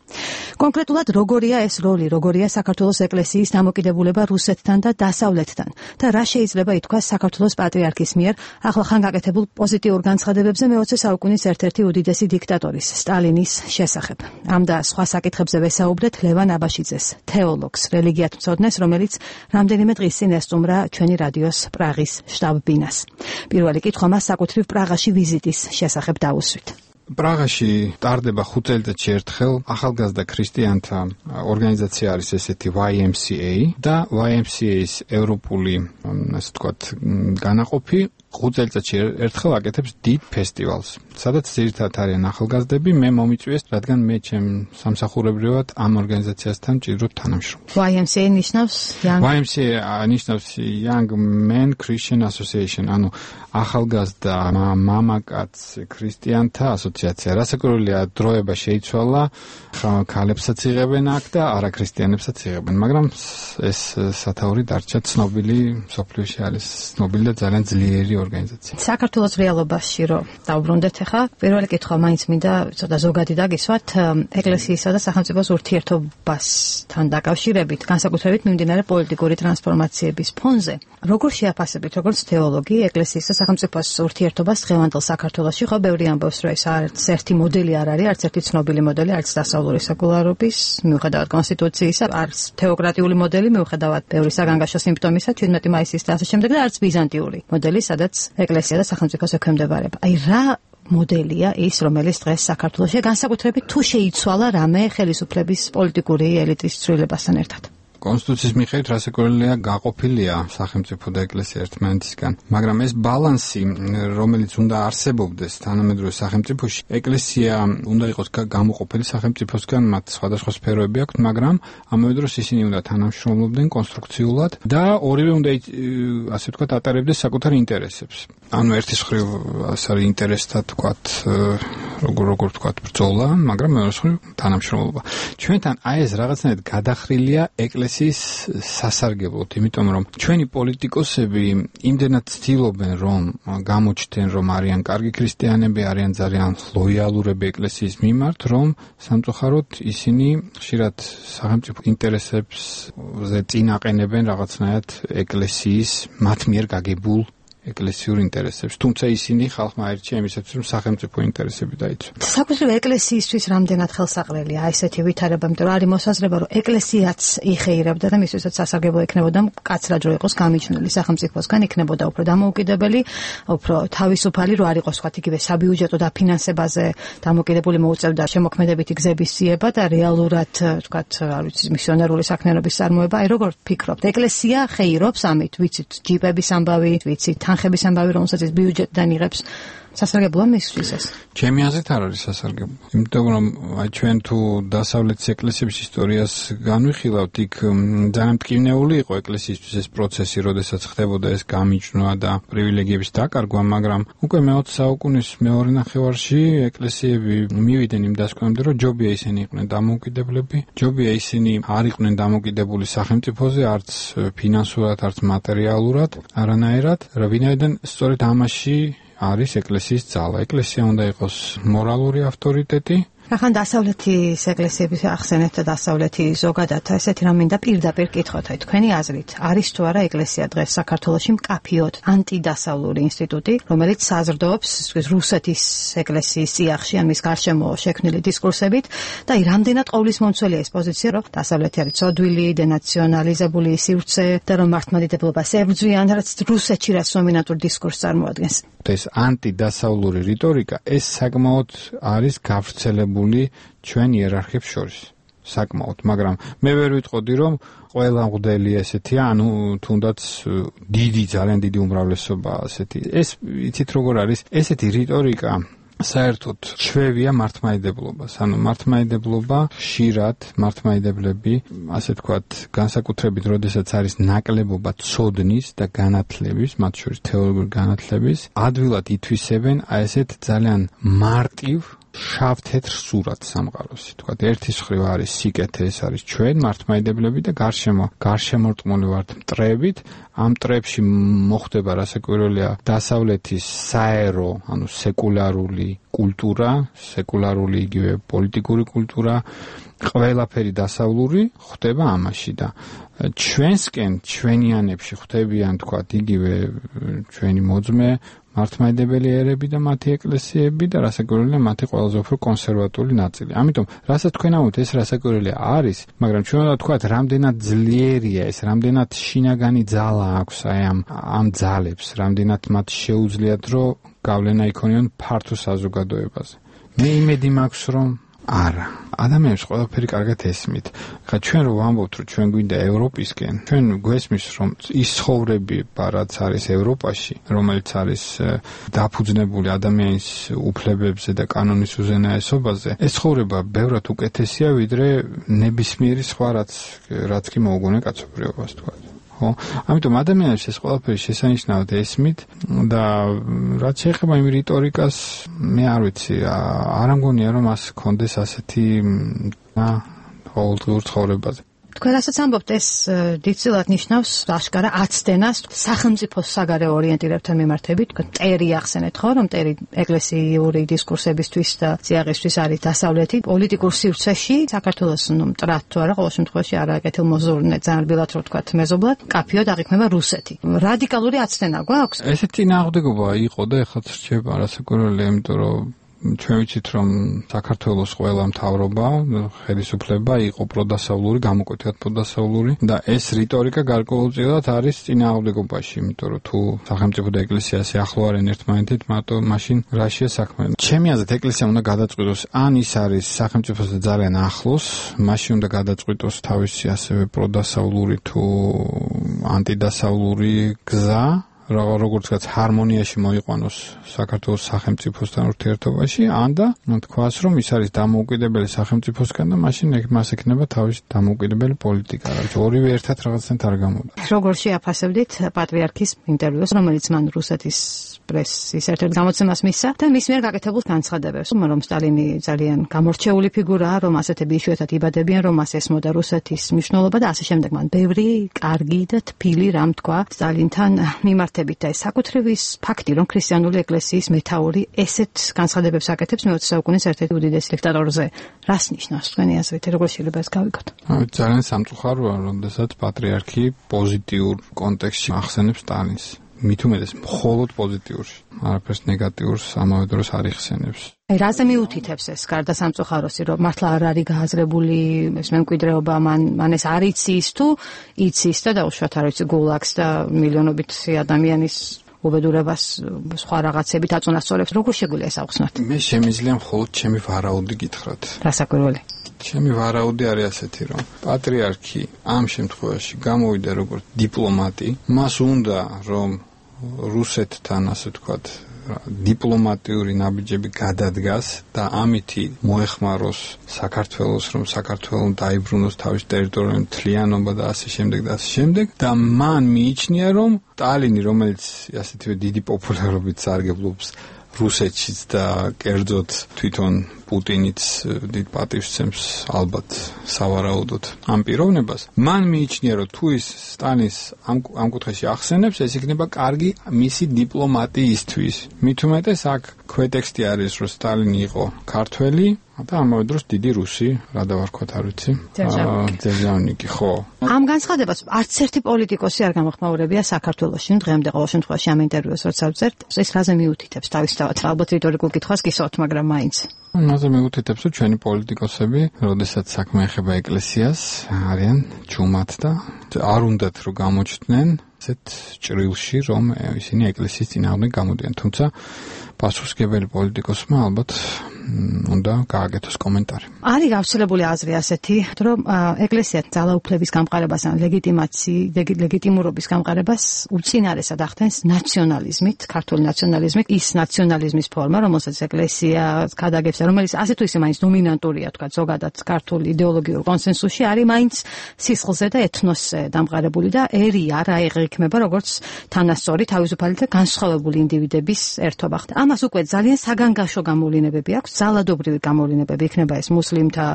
კონკრეტულად როგორია ეს როლი, როგორია საქართველოს ეკლესიის დამოკიდებულება რუსეთთან და დასავლეთთან და რა შეიძლება ითქვას საქართველოს პატრიარქის მიერ ახლახან გაკეთებულ პოზიტიურ განცხადებებზე მე-20 საუკუნის ერთ-ერთი უდიდესი დიქტატორის სტალინის შესახებ. ამ და სხვა საკითხებზე ვესაუბრეთ ლევან აბაშიძეს, თეოლოგს, რელიგიათმცოდნეს, რომელიც რამდენიმე დღის წინ ესტუმრა ჩვენი რადიოს პრაღის შტაბ-ბინას. პირველი კითხვა მას საკუთრივ პრაღაში ვიზიტის შესახებ დაუსვით. პრაღაში ტარდება 5 წელიწადში ერთხელ ახალგაზრდა ქრისტიანთა ორგანიზაცია არის ესეთი YMCA და YMCA-ის ევროპული, ასე ვთქვათ, განაყოფი 5 წელიწადში ერთხელ აკეთებს დიდ ფესტივალს, სადაც ძირითადად არიან ახალგაზრდები. მე მომიწვიეს, რადგან მე ჩემ სამსახურებრივად ამ ორგანიზაციასთან ჭირვებ თანამშრომლობა. YMCA ნიშნავს YMCA ნიშნავს Young Men Christian Association, ანუ ახალგაზრდა მამაკაც ქრისტიანთა ასოციაცია. რასაკვირველია, დროება შეიცვალა, ქალებსაც იღებენ აქ და არაქრისტიანებსაც იღებენ, მაგრამ ეს სათაური დარჩა ცნობილი, მსოფლიოში არის ცნობილი და ძალიან ძლიერი ორგანიზაცია. საქართველოს რეალობაში რომ დავბრუნდეთ ახლა, პირველი კითხვა მაინც მინდა ცოტა ზოგადი დაგისვათ ეკლესიისა და სახელმწიფოს ურთიერთობასთან დაკავშირებით, განსაკუთრებით მიმდინარე პოლიტიკური ტრანსფორმაციების ფონზე. როგორ შეაფასებით, როგორც თეოლოგი, ეკლესიის და სახელმწიფოს ურთიერთობას დღევანდელ საქართველოში, ხო ბევრი ამბობს, რომ ეს არც ერთი მოდელი არ არის, არც ერთი ცნობილი მოდელი, არც დასავლური სეკულარობის, მიუხედავად კონსტიტუციისა, არც თეოკრატიული მოდელი, მიუხედავად ბევრი საგანგაშო სიმპტომისა, 17 მაისის და ასე შემდეგ და არც ბიზანტიური მოდელი, სადაც ეკლესია და სახელმწიფოს ექვემდებარება. აი რა მოდელია ის, რომელიც დღეს საქართველოში განსაკუთრებით თუ შეიცვალა რამე ხელისუფლების პოლიტიკური ელიტის ცვლილებასთან ერთად? კონსტიტუციის მიხედვით რასაკვირველია გაყოფილია სახელმწიფო და ეკლესია ერთმანეთისგან, მაგრამ ეს ბალანსი, რომელიც უნდა არსებობდეს თანამედროვე სახელმწიფოში, ეკლესია უნდა იყოს გამოყოფილი სახელმწიფოსგან, მათ სხვადასხვა სფეროები აქვთ, მაგრამ ამავე დროს ისინი უნდა თანამშრომლობდნენ კონსტრუქციულად და ორივე უნდა ასე ვთქვათ ატარებდეს საკუთარ ინტერესებს. ანუ ერთის მხრივ ასე არის ინტერესთა ვთქვათ, როგორ ვთქვათ ბრძოლა, მაგრამ მეორე მხრივ თანამშრომლობა. ჩვენთან აი ეს რაღაცნაირად გადახრილია ეკლესიის სასარგებლოდ, იმიტომ რომ ჩვენი პოლიტიკოსები იმდენად ცდილობენ რომ გამოჩნდნენ რომ არიან კარგი ქრისტიანები, არიან ძალიან ლოიალურები ეკლესიის მიმართ, რომ სამწუხაროდ ისინი ხშირად სახელმწიფო ინტერესებზე წინაყენებენ რაღაცნაირად ეკლესიის მათ მიერ გაგებულ ეკლესიურ ინტერესებს, თუმცა ისინი ხალხმა აირჩია იმისათვის, რომ სახელმწიფო ინტერესები დაიცვა. საკუთრივ ეკლესიისთვის რამდენად ხელსაყრელია ესეთი ვითარება, იმიტომ რომ არის მოსაზრება, რომ ეკლესიაც იხეირებდა და მისთვისაც სასარგებლო იქნებოდა მკაცრად რო იყოს გამიჯნული სახელმწიფოსგან, იქნებოდა უფრო დამოუკიდებელი, უფრო თავისუფალი, რო არ იყოს თქვათ იგივე საბიუჯეტო დაფინანსებაზე დამოკიდებული, მოუწევდა შემოქმედებითი გზების ძიება და რეალურად თქვათ, არ ვიცი, მისიონერული საქმიანობის წარმოება. აი როგორ ფიქრობთ, ეკლესია ხეირობს ამით, ვიცით, ჯიპების ამბავი, ვიცით, თანხების ამბავი, რომელსაც ის ბიუჯეტიდან იღებს, სასარგებლოა მისთვის ეს? ჩემი აზრით არ არის სასარგებლო. იმიტომ რომ აი ჩვენ თუ დასავლეთის ეკლესიების ისტორიას განვიხილავთ, იქ ძალიან მტკივნეული იყო ეკლესიისთვის ეს პროცესი, როდესაც ხდებოდა ეს გამიჯვნა და პრივილეგიების დაკარგვა, მაგრამ უკვე მე-20 საუკუნის მეორე ნახევარში ეკლესიები მივიდნენ იმ დასკვნამდე, რომ ჯობია ისინი იყვნენ დამოუკიდებლები, ჯობია ისინი არ იყვნენ დამოუკიდებული სახელმწიფოზე, არც ფინანსურად, არც მატერიალურად, არანაირად, რა ვინაიდან სწორედ ამაში არის ეკლესიის ძალა. ეკლესია უნდა იყოს მორალური ავტორიტეტი. ახლა დასავლეთის ეკლესიების ახსენეთ და დასავლეთი ზოგადად ესეთი რამ მინდა პირდაპირ კითხოთ, აი თქვენი აზრით, არის თუ არა ეკლესია დღეს საქართველოში მკაფიოდ ანტიდასავლური ინსტიტუტი, რომელიც საზრდოობს რუსეთის ეკლესიის წიაღში, ან მის გარშემო შექმნილი დისკურსებით და აი რამდენად ყოვლისმომცველია ეს პოზიცია, რომ დასავლეთი არის ცოდვილი, დენაციონალიზებული, სივრცე და რომ მართლმადიდებლობას ებრძვიან, რაც რუსეთში რაც დომინანტურ დისკურსს წარმოადგენს. ეს ანტიდასავლური რიტორიკა ეს საკმაოდ არის გავრცელებული ჩვენ იერარქიებს შორის. საკმაოდ, მაგრამ მე ვერ ვიტყოდი რომ ყველა მღვდელი ესეთია, ანუ თუნდაც დიდი, ძალიან დიდი უმრავლესობა ასეთი. ეს იცით როგორ არის? ესეთი რიტორიკა საერთოდ ჩვევია მართლმადიდებლობას. ანუ მართლმადიდებლობა ხშირად მართლმადიდებლები, ასე ვთქვათ, განსაკუთრებით, როდესაც არის ნაკლებობა ცოდნის და განათლების, მათ შორის თეოლოგიური განათლების, ადვილად ითვისებენ აი ესეთ ძალიან მარტივ შავ-თეთრ სურათს სამყაროს. თქვათ, ერთის მხრივ არის სიკეთე, ეს არის ჩვენ მართლმადიდებლები და გარშემორტყმული ვართ მტრებით. ამ მტრებში მოხდება რასაკვირველია დასავლეთის საერო, ანუ სეკულარული კულტურა, სეკულარული იგივე პოლიტიკური კულტურა, ყველაფერი დასავლური ხდება ამაში და ჩვენსკენ, ჩვენიანებში ხდებიან, თქვათ, იგივე ჩვენი მოძმე მართლმადიდებელი ერები და მათი ეკლესიები და რასაკვირველია მათი ყველაზე უფრო კონსერვატული ნაწილი. ამიტომ, რასაც თქვენ ამბობთ, ეს რასაკვირველია არის, მაგრამ ჩვენ უნდა ვთქვათ, რამდენად ძლიერია ეს, რამდენად შინაგანი ძალა აქვს აი ამ ძალებს, რამდენად მათ შეუძლიათ, რომ გავლენა იქონიონ ფართო საზოგადოებაზე. მე იმედი მაქვს, რომ არა. ადამიანებს ყველაფერი კარგად ესმით. ხა ჩვენ რო ვამბობთ, რომ ჩვენ გვინდა ევროპისკენ, ჩვენ გვესმის, რომ ის ცხოვრება, რაც არის ევროპაში, რომელიც არის დაფუძნებული ადამიანის უფლებებზე და კანონის უზენაესობაზე, ეს ცხოვრება ბევრად უკეთესია, ვიდრე ნებისმიერი სხვა რაც კი მოუგონე კაცობრიობას, თქვა. ამიტომ ადამიანებს ეს ყველაფერი შესანიშნავად ესმით და რაც შეეხება იმ რიტორიკას, მე არ ვიცი, არ ამგონია რომ მას კონდეს ასეთი ყოველდღიურ ცხოვრებაზე. თქვენ რასაც ამბობთ, ეს დიდწილად ნიშნავს აშკარა აცდენას სახელმწიფოს საგარეო ორიენტირებთან მიმართებით. თქვენ ტერი ახსენეთ, ხო, რომ ტერი ეკლესიური დისკურსებისთვის და წიაღისთვის არის დასავლეთი პოლიტიკურ სივრცეში საქართველოს მტრად თუ არა, ყოველ შემთხვევაში არაკეთილმოზრუნე, ძალიან რბილად რო ვთქვათ, მეზობლად, კაფიოდ აღიქმება რუსეთი. რადიკალური აცდენა გვაქვს? ესეთი წინააღმდეგობა იყო და ეხლა რჩება არასაკურველია, იმიტომ რომ ჩვენ ვიცით, რომ საქართველოს ყველა მთავრობა, ხელისუფლება იყო პროდასავლური, გამოკვეთილად პროდასავლური და ეს რიტორიკა გარკვეულწილად არის წინააღმდეგობაში, იმიტომ რომ თუ სახელმწიფო და ეკლესია ასე ახლო არიან ერთმანეთით, მაშინ რაშია საქმე. ჩემი აზრით, ეკლესია უნდა გადაწყვიტოს, ან ის არის სახელმწიფოსთან ძალიან ახლოს, მაშინ უნდა გადაწყვიტოს თავისი ასევე პროდასავლური თუ ანტიდასავლური გზა, როგორც ვთქვათ, ჰარმონიაში მოიყვანოს საქართველოს სახელმწიფოსთან ურთიერთობაში, ან და თქვას, რომ ის არის დამოუკიდებელი სახელმწიფოსგან და მაშინ მას ექნება თავისი დამოუკიდებელი პოლიტიკა. ორივე ერთად რაღაცნაირად არ გამოდის. როგორ შეაფასებდით პატრიარქის ინტერვიუს, რომელიც მან რუსეთის პრესის ერთ-ერთ გამოცემას მისცა და მის მიერ გაკეთებულ განცხადებებს, რომ სტალინი ძალიან გამორჩეული ფიგურაა, რომ ასეთები იშვიათად იბადებიან, რომ მას ესმოდა რუსეთის მნიშვნელობა და ასე შემდეგ. მან ბევრი კარგი და თბილი რამ თქვა სტალინთან მიმართებით და ეს საკუთრივის ფაქტი, რომ ქრისტიანული ეკლესიის მეთაური ესეთ განცხადებებს აკეთებს მე-20 საუკუნის ერთ-ერთი უდიდესი დიქტატორზე. რას ნიშნავს თქვენი აზრით, როგორ შეიძლება ეს გავიგოთ? ძალიან სამწუხაროა, როდესაც პატრიარქი პოზიტიურ კონტექსტში ახსენებს სტალინს. მით უმეტეს მხოლოდ პოზიტიურში, არაფერს ნეგატიურს ამავე დროს არ იხსენებს. რაზე მიუთითებს ეს გარდა სამწუხაროსი, რომ მართლა არ არის გააზრებული ეს მემკვიდრეობა, მან ეს არ იცის თუ იცის და დაუშვათ არ ვიცი გულაგს და მილიონობით ადამიანის უბედურებას სხვა რაღაცებით აწონასწორებს. როგორ შეგვიძლია ეს ავხსნათ? მე შემიძლია მხოლოდ ჩემი ვარაუდი გითხრათ. რასაკვირველი? ჩემი ვარაუდი არის ასეთი, რომ პატრიარქი ამ შემთხვევაში გამოვიდა როგორც დიპლომატი, მას უნდა რომ რუსეთთან ასე ვთქვათ დიპლომატიური ნაბიჯები გადადგას და ამითი მოეხმაროს საქართველოს, რომ საქართველოს დაიბრუნოს თავის ტერიტორიული მთლიანობა და ასე შემდეგ და ასე შემდეგ და მან მიიჩნია, რომ სტალინი, რომელიც ასეთივე დიდი პოპულარობით სარგებლობს რუსეთშიც და კერძოდ თვითონ პუტინიც დიდ პატივს სცემს ალბათ სავარაუდოდ ამ პიროვნებას, მან მიიჩნია, რომ თუ ის სტალინს ამ კუთხეში ახსენებს, ეს იქნება კარგი მისი დიპლომატიისთვის. მით უმეტეს აქ ქვეტექსტი არის, რომ სტალინი იყო ქართველი და ამავე დროს დიდი რუსი, რა დავარქვათ, არ ვიცი. ძერჟავნიკი, ხო. ამ განცხადებას არც ერთი პოლიტიკოსი არ გამოხმაურებია საქართველოში, დღემდე ყოველ შემთხვევაში ამ ინტერვიუს როცა ვწერთ, ეს რაზე მიუთითებს თავისთავად, ალბათ რიტორიკულ კითხვას გისვათ, მაგრამ მაინც. მასე მიუთითებს, რომ ჩვენი პოლიტიკოსები, როდესაც საქმე ეხება ეკლესიას, არიან ჯუმად და არ უნდათ რომ გამოჩნდნენ ასეთ ჭრილში, რომ ისინი ეკლესიის წინააღმდეგ გამოდიან. თუმცა პასუხისმგებელი პოლიტიკოსმა ალბათ უნდა გააკეთოს კომენტარი. არის გავრცელებული აზრი ასეთი, რომ ეკლესია ძალაუფლების გამყარებას ან ლეგიტიმურობის გამყარებას უწინარესად ახდენს ნაციონალიზმით, ქართული ნაციონალიზმით, ის ნაციონალიზმის ფორმა, რომელსაც ეკლესია გადაგებს, რომელიც ასე თუ ისე მაინც დომინანტურია, თქვა ზოგადად ქართულ იდეოლოგიურ კონსენსუსში, არის მაინც სისხლზე და ეთნოსზე დამყარებული და ერი არა იღრიქმება როგორც თანასწორი, თავისუფალი და განსხვავებული ინდივიდების ერთობა. ამას უკვე ძალიან საგანგაშო გამოვლენებები აქვს. ძალადობრივი გამოვლენებები იქნება ეს მუსლიმთა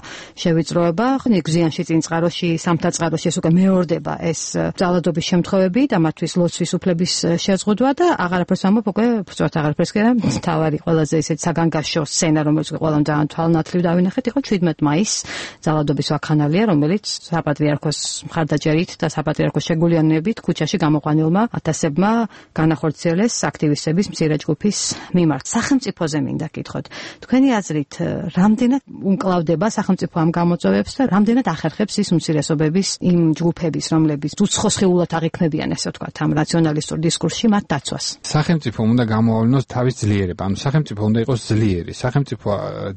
შევიწროება, გზიანში წინწყაროში, სამთაწყაროში ეს უკვე მეორდება ეს ძალადობის შემთხვევები და მათთვის ლოცვის უფლების შეზღუდვა და აღარაფერს ამბობ უკვე ფუძვათ აღარაფერს კი არა, თავარი ყველაზე ისეთ საგანგაშო სცენა, რომელიც ყველამ ძალიან თვალნათლივ დავინახეთ, იყო 17 მაისს ძალადობის ვაქხანალია, რომელიც საპატრიარქოს მხარდაჭერით და საპატრიარქოს შეგულიანებით ქუჩაში გამოყვანილმა ათასებმა განახორციელეს აქტივისტების მცირე ჯგუფის მიმართ. სახელმწიფოზე მინდა გითხოთ. თქვენი აზრით, რამდენად უმკლავდება სახელმწიფო ამ გამოწვევებს და რამდენად ახერხებს ის უმცირესობების იმ ჯგუფების, რომლებიც უცხოსხეულად აღიქმებიან, ესე ვთქვათ, ამ რაციონალისტურ დისკურსში მათ დაცვას? სახელმწიფო უნდა გამოავლინოს თავის ძლიერება. ანუ სახელმწიფო უნდა იყოს ძლიერი. სახელმწიფო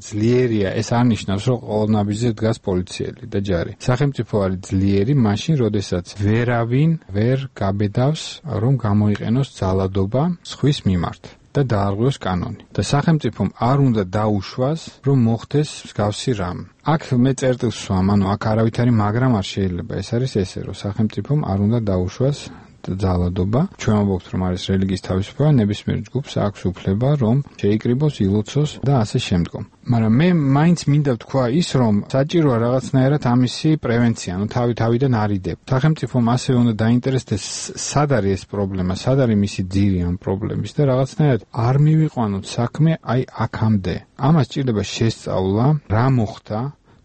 ძლიერია, ეს არ ნიშნავს, რომ ყოველ ნაბიჯზე დგას პოლიციელი და ჯარი. სახელმწიფო არის ძლიერი მაშინ, როდესაც ვერავინ ვერ გაბედავს, რომ გამოიყენოს ძალადობა სხვის მიმართ და დაარღვიოს კანონი. და სახელმწიფომ არ უნდა დაუშვას, რომ მოხდეს მსგავსი რამ. აქ მე წერტილს ვსვამ, ანუ აქ არავითარი მაგრამ არ შეიძლება. ეს არის ესე, რომ სახელმწიფომ არ უნდა დაუშვას ძალადობა. ჩვენ ვამბობთ, რომ არის რელიგიის თავისუფლება, ნებისმიერ ჯგუფს აქვს უფლება, რომ შეიკრიბოს, ილოცოს და ასე შემდგომ. მაგრამ მე მაინც მინდა ვთქვა ის, რომ საჭიროა რაღაცნაირად ამისი პრევენცია, თავიდან არიდებ. სახელმწიფომ ასევე უნდა დაინტერესდეს, სად არის ეს პრობლემა, სად არის მისი ძირი ამ პრობლემის და რაღაცნაირად არ მივიყვანოთ საქმე აი აქამდე. ამას ჭირდება შესწავლა, რა მოხდა.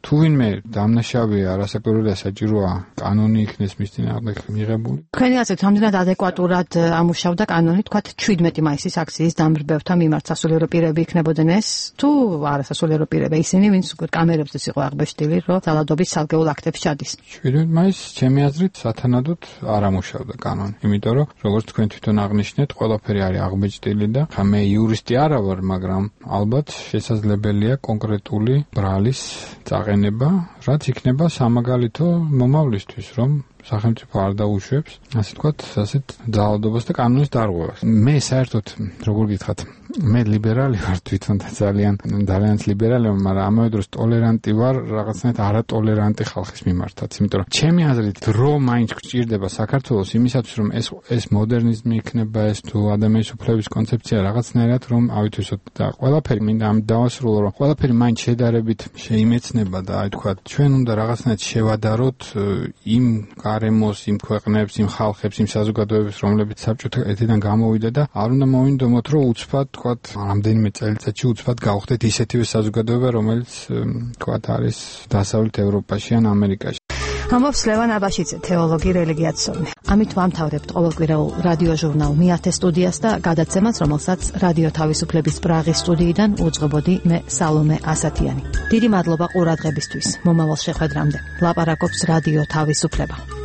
თუ ვინმე დამნაშავეა, არასაკმარისია, საჭიროა კანონი იქნეს მის წინააღმდეგ მიღებული. თქვენი აზრით, რამდენად ადეკვატურად ამუშავდა კანონი, თქვათ 17 მაისის აქციის დამბრბევთა მიმართ სასულიერო პირები იქნებოდნენ ეს, თუ არასასულიერო პირები, ისინი, ვინც კამერებზეც იყო აღბეჭდილი, რომ ძალადობის სალგეულ აქტებს ჩადის. 17 მაისს, ჩემი აზრით, სათანადოდ არ ამუშავდა კანონი, იმიტომ რომ როგორც თქვენ თვითონ აღნიშნეთ, ყველაფერი არის აღბეჭდილი და ხა მე იურისტი არა ვარ, მაგრამ ალბათ შესაძლებელია კონკრეტული ბრალის წაყენება, რაც იქნება სამაგალითო მომავლისთვის, რომ სახელმწიფო არ დაუშვებს, ასე ვთქვათ, ასეთ ძალადობას და კანონის დარღვევას. მე საერთოდ, როგორ გითხრათ, მე ლიბერალი ვარ თვითონ და ძალიან ლიბერალი ვარ, მაგრამ ამავე დროს ტოლერანტი ვარ რაღაცნაირად არატოლერანტი ხალხის მიმართაც, იმიტომ რომ ჩემი აზრით დრო მაინც გჭირდება საქართველოს იმისათვის, რომ ეს მოდერნიზმი იქნება, ეს თუ ადამიანის უფლების კონცეფცია რაღაცნაირად რომ ავითვისოთ და ყველაფერი მინდა ამ დავასრულო, რომ ყველაფერი მაინც შედარებით შეიმეცნება და აი თქვა ჩვენ უნდა რაღაცნაირად შევადაროთ იმ გარემოს, იმ ქვეყნებს, იმ ხალხებს, იმ საზოგადოებებს, რომლებიც საბჭოთა ეთიდან გამოვიდა და არ უნდა მოვინდომოთ, რომ უცბად თქვათ, რამდენიმე წელიწადში უცბად გავხდეთ ისეთივე საზოგადოება, რომელიც თქვათ არის დასავლეთ ევროპაში ან ამერიკაში. ამბობს ლევან აბაშიძე, თეოლოგი, რელიგიათსოვნე. ამით ვამთავრებთ ყოველკვირეულ რადიო ჟურნალ მეათე სტუდიას და გადაცემას, რომელსაც რადიო თავისუფლების პრაღის სტუდიიდან უძღვებოდი მე სალომე ასათიანი. დიდი მადლობა ყურადღებისთვის. მომავალ შეხვედრამდე. ლაპარაკობს რადიო თავისუფლება.